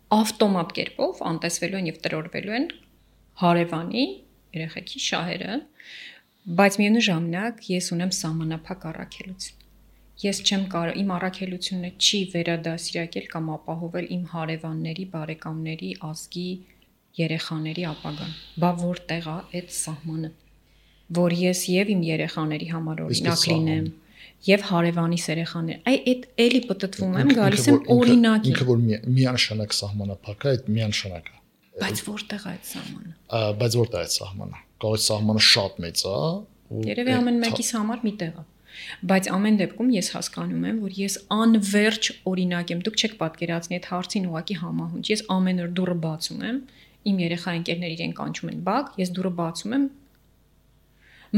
ավտոմատ կերպով անտեսվելու են եւ տրորվելու են հարևանի երեխեքի շահերը, բայց միևնույն ժամանակ ես ունեմ սահմանափակ առաքելություն։ Ես չեմ կարող իմ առաքելությունը չի վերադասիրակել կամ ապահովել իմ հարևանների, բարեկամների, ազգի երեխաների ապագան։ Բա որտեղ է այդ սահմանը, որ ես եւ իմ երեխաների համար օրինակ լինեմ, եւ հարևանիս երեխաներ։ Այ այդ էլի պատտվում եմ, գալիս եմ օրինակի։
Ինքը որ միանշանակ սահմանափակ է, այդ միանշանակ է։
Բայց որտեղ է այդ սահմանը։
Բայց որտեղ է այդ սահմանը։ Կարող է սահմանը շատ մեծ է։
Երևի ամեն մեկիս համար մի տեղ է։ Բայց ամեն դեպքում ես հասկանում եմ, որ ես անverջ օրինակ եմ։ Դուք չեք պատկերացնի այդ հարցին ուղակի համահունչ։ Ես ամեն օր դուռը բացում եմ, իմ երեխա ընկերներ իրեն կանչում են բակ, ես դուռը բացում եմ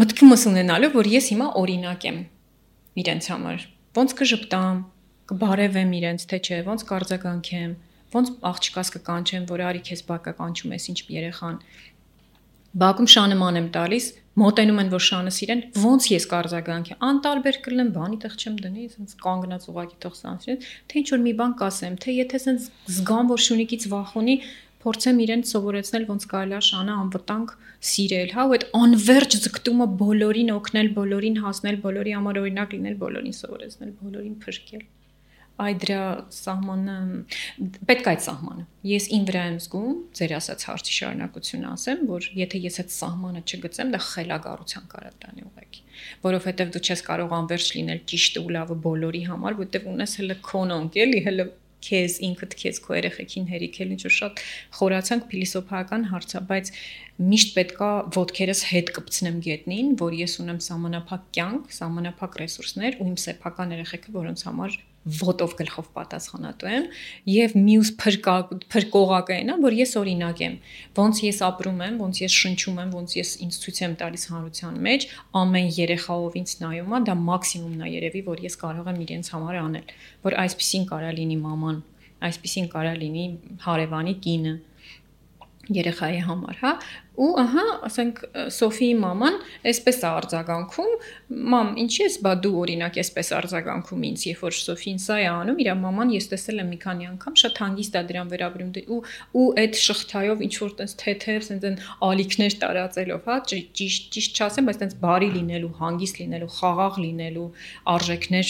մտքումս ունենալով, որ ես հիմա օրինակ եմ իրենց համար։ Ոնց կժպտամ, կբարևեմ իրենց, թե չէ, ոնց կարձագանքեմ, ոնց աղջկաս կկանչեմ, որ արի քեզ բակը կանչում ես, ինչ երեխան։ Բակում շանման եմ տալիս, մոտենում են որ շանս իրեն, ոնց ես կարձագանքեմ, անտարբեր կլինեմ, բանի տեղ չեմ դնի, ասենց կանգնած ուղակի թող սանցրեն, թե ինչ որ մի բան կասեմ, թե եթե ասենց զգամ որ շունիկից վախ ունի, փորձեմ իրեն սովորեցնել ոնց կարելի է շանը անվտանգ սիրել, հա, ու այդ անverջ ձգտումը բոլորին օգնել, բոլորին հասնել, բոլորի համար օրինակ լինել, բոլորին սովորեցնել, բոլորին փրկել։ Այ դրա սահմանը պետք է այդ սահմանը։ Ես ին վրա եմ զգում, ձեր ասած հարցի շարունակությունը ասեմ, որ եթե ես այդ սահմանը չգծեմ, դա խելագարության կարա տանի ուղղակի, որովհետև դու չես կարող անverջ լինել ճիշտը ու լավը բոլորի համար, որտեղ ունես հələ քոնոնք, էլի, հələ քեզ ինքդ քեզ քո երեխեքին հերիքել ինչ որ շատ խորացանք փիլիսոփայական հարց է, բայց միշտ պետքա ոտքերս հետ կպցնեմ գետնին, որ ես ունեմ սահմանափակ կյանք, սահմանափակ ռեսուրսներ ու իմ սեփական երեխեքը, որոնց համար ոտով գլխով պատասխանատու եմ եւ մյուս փրկողակը այնա, որ ես օրինակ եմ, ոնց ես ապրում եմ, ոնց ես շնչում եմ, ոնց ես ինձ ցույց եմ տալիս հանրության մեջ, ամեն երեխաով ինձ նայում է, դա մաքսիմումն է երևի, որ ես կարող եմ իրենց համար անել, որ այսպեսին կարա լինի մաման, այսպեսին կարա լինի հարևանի կինը երեխայի համար, հա, ու ահա, ասենք Սոֆիի մաման այսպես է արձագանքում, մամ, ինչի՞ ես բա դու օրինակ այսպես արձագանքում ինձ, երբ որ Սոֆին սա է անում, իր մաման ես տեսել եմ մի քանի անգամ, շատ հանգիստ է դրան վերաբերում ու ու այդ շղթայով ինչ որ տես թեթև, ասենց այն ալիքներ տարածելով, հա, ճիշտ ճիշտ չասեմ, բայց տես բարի լինելու, հանգիստ լինելու, խաղաղ լինելու արժեքներ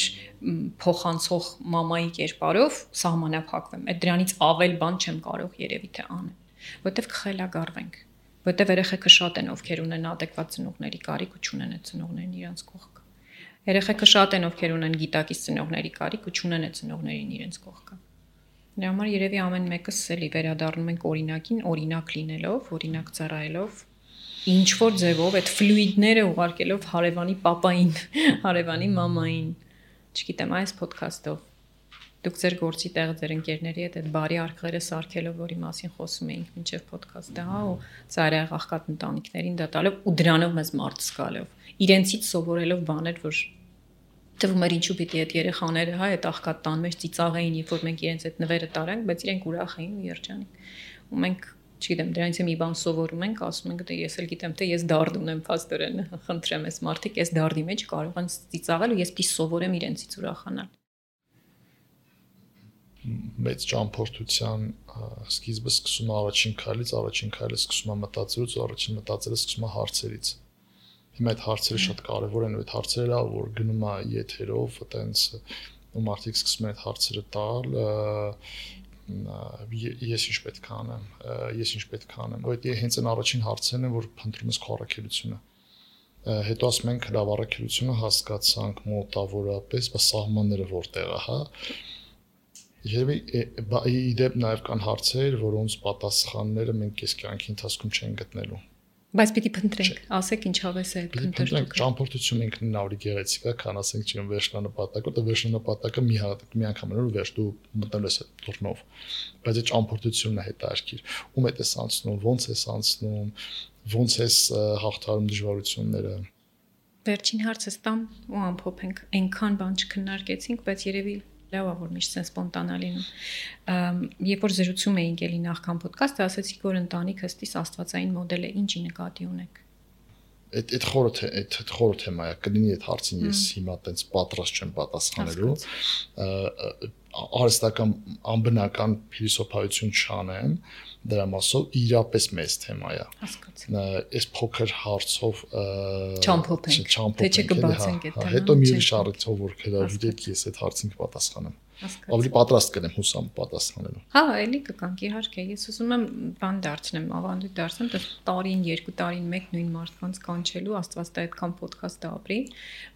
փոխանցող մամայի կերպարով սահմանափակվեմ։ Այդ դրանից ավել բան չեմ կարող երևի թե անեմ, որտեվ կխելագարվենք, որտեվ երեխեքը շատ են ովքեր ունեն adekvat ծնողների կարիք ու չունեն այդ ծնողներին իրենց կողքը։ Երեխեքը շատ են ովքեր ունեն գիտակից ծնողների կարիք ու չունեն այդ ծնողներին իրենց կողքը։ Դրա համար երևի ամեն մեկս էլի վերադառնում ենք օրինակին, օրինակ լինելով, օրինակ ծառայելով, ինչ որ ձևով այդ ֆլուիդները ուղարկելով հարևանի պապային, հարևանի մամային, չգիտեմ, այս ոդքասթով դուք ձեր գործի տեղ ձեր ընկերների հետ այդ բարի արկղերը սարքելով, որի մասին խոսում էինք մինչև ոդքասթը, հա, ու ծայրահեղ աղքատ ընտանիքներին դա տալով ու դրանով մեզ մարդ զգալով, իրենցից սովորելով բաներ, որ թվում էր ինչու պիտի այդ երեխաները, հա, այդ աղքատ տան մեջ ծիծաղեին, երբ որ մենք իրենց այդ նվերը տարանք, բայց իրենք ուրախ էին ու երջանիկ։ Ու մենք, չգիտեմ, դրանից մի բան սովորում ենք, ասում ենք, դե ես էլ գիտեմ, թե ես դարդ ունեմ փաստորեն, խնդրեմ, այս մարդիկ այս դարդի մեջ կարող են ծիծաղել ու ես պիտի սովորեմ իրենցից ուրախանալ։
Մեծ ճամփորդության սկիզբը սկսում է առաջին քայլից, առաջին քայլը սկսում է մտածելուց, առաջին մտածելը սկսում է հարցերից։ Հիմա այդ հարցերը շատ կարևոր են, ու այդ հարցերը, որ գնում է եթերով, այտենց ու մարդիկ սկսում են այդ հարցերը տալ, ես ինչ պետք է անեմ, ես ինչ պետք է անեմ, այդ հենց այն առաջին հարցերն են, որ փնտրում ես քո առաքելությունը։ Հետո ասում ենք լավ առաքելությունը հասկացանք մոտավորապես, բայց սահմանները որտեղ է, հա։ Երևի իդեպ նաև կան հարցեր, որոնց պատասխանները մենք այս կյանքի ընթացքում չենք գտնելու։
Բայց պիտի փնտրենք, ասեք ինչով է այդ
փնտրելը։ Ճամփորդությունը ինքնին ավելի գեղեցիկ է, քան ասենք չեմ վերջնանպատակը, դա վերջնանպատակը մի հատ մի անգամ անելու վերջ դու մտնել ես այդ դռնով։ Բայց այդ ճամփորդությունն է հետաքրքիր։ Ում է դες անցնում, ո՞նց է անցնում, ո՞նց է հաղթարում դժվարությունները։
Վերջին հարցը ստամ ու ամփոփենք։ Այնքան բան չքննարկեցինք, բայց երևի լավ է որ միշտ sense սպոնտանա լինում։ Երբ որ զրուցում էինք էլի նախքան ոդքասթը, ասացիք որ ընտանիք հստիս աստվածային մոդել է, ինչի նկատի ունեք։
Այդ այդ խորը թե այդ խորը թեմա է, կլինի այդ հարցին ես հիմա տենց պատրաստ չեմ պատասխանելու։ Արհեստական անբնական փիլիսոփայություն չանեմ, դրա մասով իրապես մեծ թեմա է։
Հասկացա։
Այս փոքր հարցով
չամփոփենք, թե չկբացենք այդ թեման։
Հետո մի ուրիշ առիթով որ գիտեք ես այդ հարցին կպատասխանեմ։ Ավելի պատրաստ կլեմ հուսամ պատասխանելու։
Հա, էլի կգանք իհարկե։ Ես ուզում եմ բան դարձնեմ, ավանդույթ դարձնեմ, դա տարին, երկու տարին մեկ նույն մարդկանց կանչելու, Աստված տա այդքան ոդքասթը ապրի,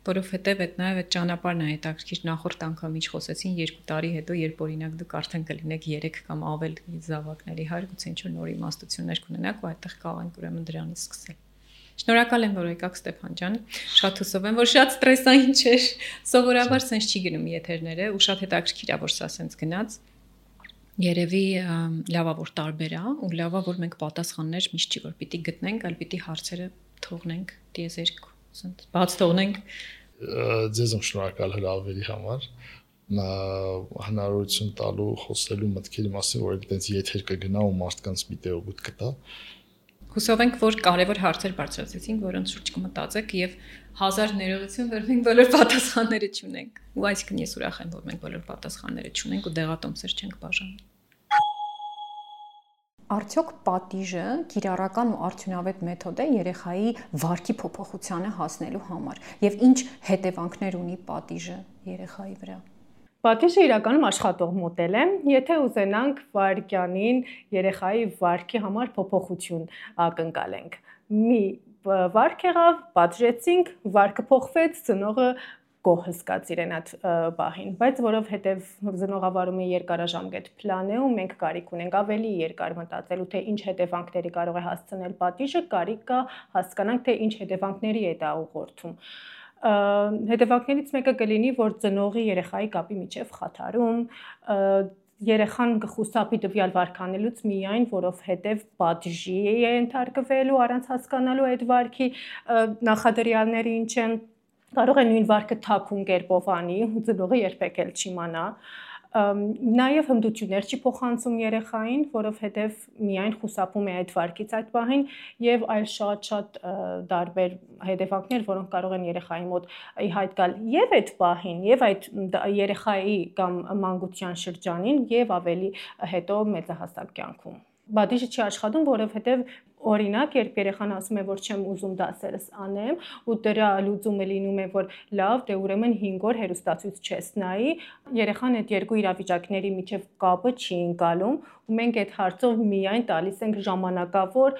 որովհետև այդ նաև այդ ճանապարհն է հետաքրքիր նախորդ անգամ ինչ խոսեցին երկու տարի հետո, երբ օրինակ դուք արդեն կլինեք երեք կամ ավել զավակների հայր, գուցե ինչ-որ նոր իմաստություններ կունենաք ու այդտեղ կարող ենք ուրեմն դրանից սկսել։ Շնորհակալ եմ, որ եկաք Ստեփան ջան։ Շատ հուսով եմ, որ շատ ստրեսային չէր։ Սովորաբար sense չի գնում եթերները ու շատ հետաքրքիր է, որ սա sense գնաց։ Երևի լավա որ տարբեր է ու լավա որ մենք պատասխաններ միշտ չի որ պիտի գտնենք, այլ պիտի հարցերը թողնենք դիեզերք, sense բաց թողնենք։
Ձեզ եմ շնորհակալ հրավերի համար։ Հնարավորություն տալու խոսելու մտքերի մասին, որ այդպես եթեր կգնա ու մարդկանց մի տեոգուտ կտա։
Հուսով ենք, որ կարևոր հարցեր բարձրացեցինք, որոնց շուրջ կմտածեք եւ հազար ներողություն, որ մենք բոլոր պատասխանները չունենք։ Ու այսինքն ես ուրախ եմ, որ մենք բոլոր պատասխանները չունենք ու դեղատոմսեր չենք բաժանում։ Արդյոք պատիժը կիրառական ու արդյունավետ մեթոդ է երեխայի վարքի փոփոխությանը հասնելու համար եւ ինչ հետևանքներ ունի պատիժը երեխայի վրա։
Պատիժը իրականում աշխատող մոդել է, եթե ուզենանք վարքյանին երեխայի վարքի համար փոփոխություն ակնկալենք։ Մի վարք եղավ, պատժեցինք, վարքը փոխվեց, ծնողը գոհ հսկաց իրեն այդ բահին, բայց որովհետև ծնողավարումը երկարաժամկետ պլան է ու մենք կարիք ունենք ավելի երկար մտածելու, թե ինչ հետևանքների կարող է հասցնել պատիժը, կարիք կա հասկանանք, թե ինչ հետևանքների է դա ուղղորդում։ Հետևանքներից մեկը կլինի, որ ծնողի երեխայի կապի միջև խաթարում, երեխան կխուսափի տվյալ վարքանելուց միայն, որովհետև պատժի է ենթարկվելու առանց հասկանալու այդ վարքի նախադրյալները ինչ են, կարող է նույն վարքը թաքուն կերպով անի, ծնողը երբեք էլ չիմանա։ Նաև հմտություններ չի փոխանցում երեխային, որովհետև միայն խուսափում է այդ վարքից այդ պահին եւ այլ շատ-շատ տարբեր հետևանքներ, որոնք կարող են երեխայի մոտ ի հայտ գալ եւ այդ պահին, եւ այդ երեխայի կամ մանկության շրջանին եւ ավելի հետո մեծահասակ կյանքում։ Բադիժը չի աշխատում, որովհետև օրինակ, երբ երեխան ասում է, որ չեմ ուզում դասերս անեմ, ու դրա լուծումը լինում է, որ լավ, դե ուրեմն հինգ օր հեռուստացույց չես նայի, երեխան այդ երկու իրավիճակների միջև կապը չի ընկալում, ու մենք այդ հարցով միայն տալիս ենք ժամանակավոր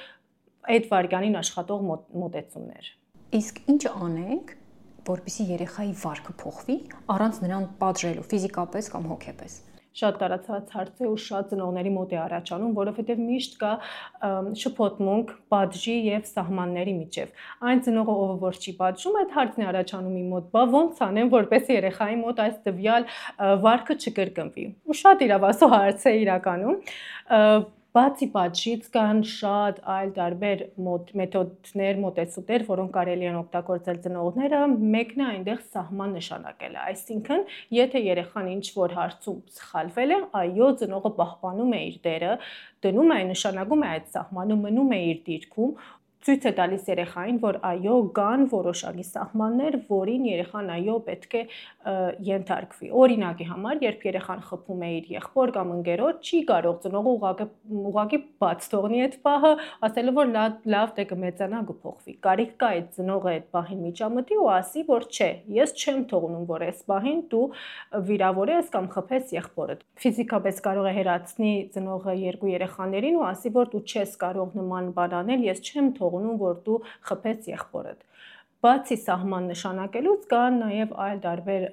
այդ վարքյանին աշխատող մոտեցումներ։
Իսկ ինչ անենք, որպեսզի երեխայի վարքը փոխվի, առանց նրան պատժելու ֆիզիկապես կամ հոգեպես։
Շատ տարածված հարց է ու շատ ծնողների մոտ է առաջանում, որովհետև միշտ կա շփոթմունք պատժի եւ սահմանների միջև։ Այն ծնողը, ով որ չի պատժում, այդ հարցն է առաջանում իմ մոտ, բա ոնց անեմ, որպեսզի երեխայի մոտ այս տվյալ վարքը չկրկնվի։ Ու շատ իրավասու հարց է իրականում։ Բացի պատժից կան շատ այլ տարբեր մեթոդներ, մոտեցումներ, որոնք կարելի են օգտագործել ծնողները, մեկն է այնտեղ սահման նշանակելը, այսինքն, եթե երեխան ինչ-որ հարցում սխալվել է, այո, ծնողը պահպանում է իր դերը, դնում է, նշանակում է այդ սահմանը, մնում է իր դիրքում, ցույց է տալիս երեխային, որ այո, կան որոշակի սահմաններ, որին երեխան այո պետք է ենթարկվի։ Օրինակի համար, երբ երեխան խփում է իր եղբոր կամ ընկերոջ, չի կարող ծնողը ուղղակի բաց թողնի այդ պահը, ասելով որ լավ դե կմեծանա կփոխվի։ Կարիք կա այդ ծնողը այդ պահին միջամտի ու ասի, որ չէ, ես չեմ թողնում, որ այս պահին դու վիրավորես կամ խփես եղբորդ։ Ֆիզիկապես կարող է հեռացնի ծնողը երկու երեխաներին ու ասի, որ դու չես կարող նման բան անել, ես չեմ թողնում, որ դու խփես եղբորդ։ Բացի սահման նշանակելուց կան նաև այլ տարբեր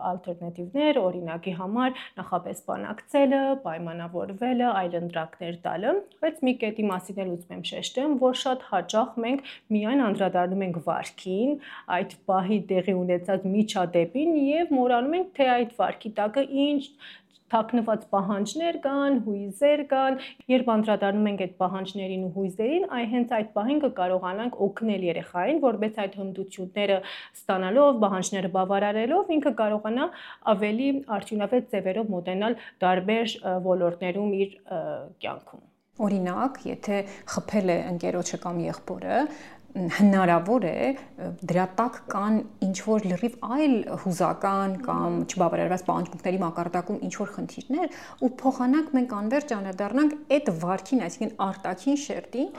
ալտերնատիվներ, օրինակի համար նախապես բանակցելը, պայմանավորվելը, այլընտրանքներ տալը, բայց մի կետի մասին էլ ուզում եմ շեշտեմ, որ շատ հաճախ մենք միայն անդրադառնում ենք վարքին, այդ պահի տեղի ունեցած միջադեպին եւ մոռանում ենք, թե այդ վարքի տակը ինչ թաքնված պահանջներ կան, հույզեր կան, երբ անդրադառնում ենք այդ պահանջներին ու հույզերին, այ հենց այդ պահին կկարողանանք օգնել երեխային, որպես այդ հմտությունները ստանալով, պահանջները բավարարելով, ինքը կարողանա ավելի արդյունավետ ձևերով մոտենալ տարբեր ոլորտներում իր կյանքում։
Օրինակ, եթե խփել է ընկերոջը կամ եղբորը, հնարավոր է դրա տակ կան ինչ-որ լրիվ այլ հուզական կամ չբավարարված պահանջմունքների մակարդակում ինչ-որ խնդիրներ ու փոխանակ մենք անվերջ անդրադառնանք այդ վարքին, այսինքն արտաքին շերտին,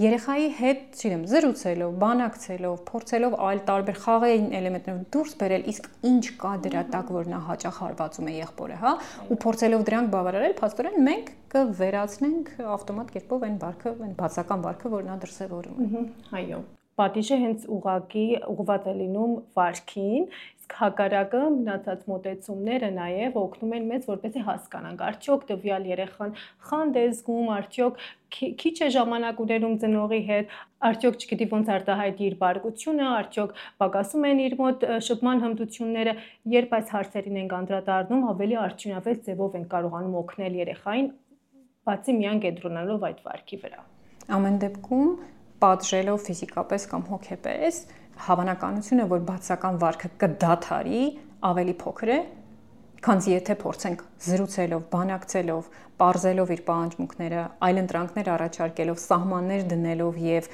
երեխայի հետ, չգիտեմ, զրուցելով, բանակցելով, փորձելով այլ տարբեր խաղային էլեմենտներով դուրս բերել, իսկ ինչ կա դրա տակ, որ նա հաճախ հարվածում է եղբորը, հա, ու փորձելով դրանք բավարարել, փաստորեն մենք կվերացնենք ավտոմատ կերպով այն վարքը, այն բացական վարքը, որ նա դրսևորում է։
Այո։ Պատիժը հենց ուղղակի ուղղված է լինում վարքին, իսկ հակառակը մնացած մոտեցումները նաև օգնում են մեզ, որպեսզի հասկանանք, արդյոք տվյալ երեխան խանդ է զգում, արդյոք քիչ է ժամանակ ուտելում ծնողի հետ, արդյոք չգիտի ոնց արտահայտի իր բարկությունը, արդյոք պակասում են իր մոտ շփման հմտությունները, երբ այս հարցերին ենք անդրադառնում, ավելի արդյունավետ ձևով ենք կարողանում օգնել երեխային, բացի միայն կենտրոնանալով այդ վարքի վրա։
Ամեն դեպքում պատժելով ֆիզիկապես կամ հոգեպես, հավանականությունը, որ բացական վարքը կդադարի, ավելի փոքր է, քանզի եթե փորձենք զրուցելով, բանակցելով, պարզելով իր պահանջմունքները, այլընտրանքներ առաջարկելով, սահմաններ դնելով եւ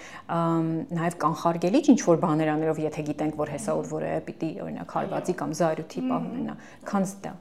նաեւ կանխարգելիչ ինչ-որ բաներ անելով, եթե գիտենք, որ հեսա որ որը պիտի օրինակ հարվածի կամ զայրույթի պահ ունենա, քանզի դա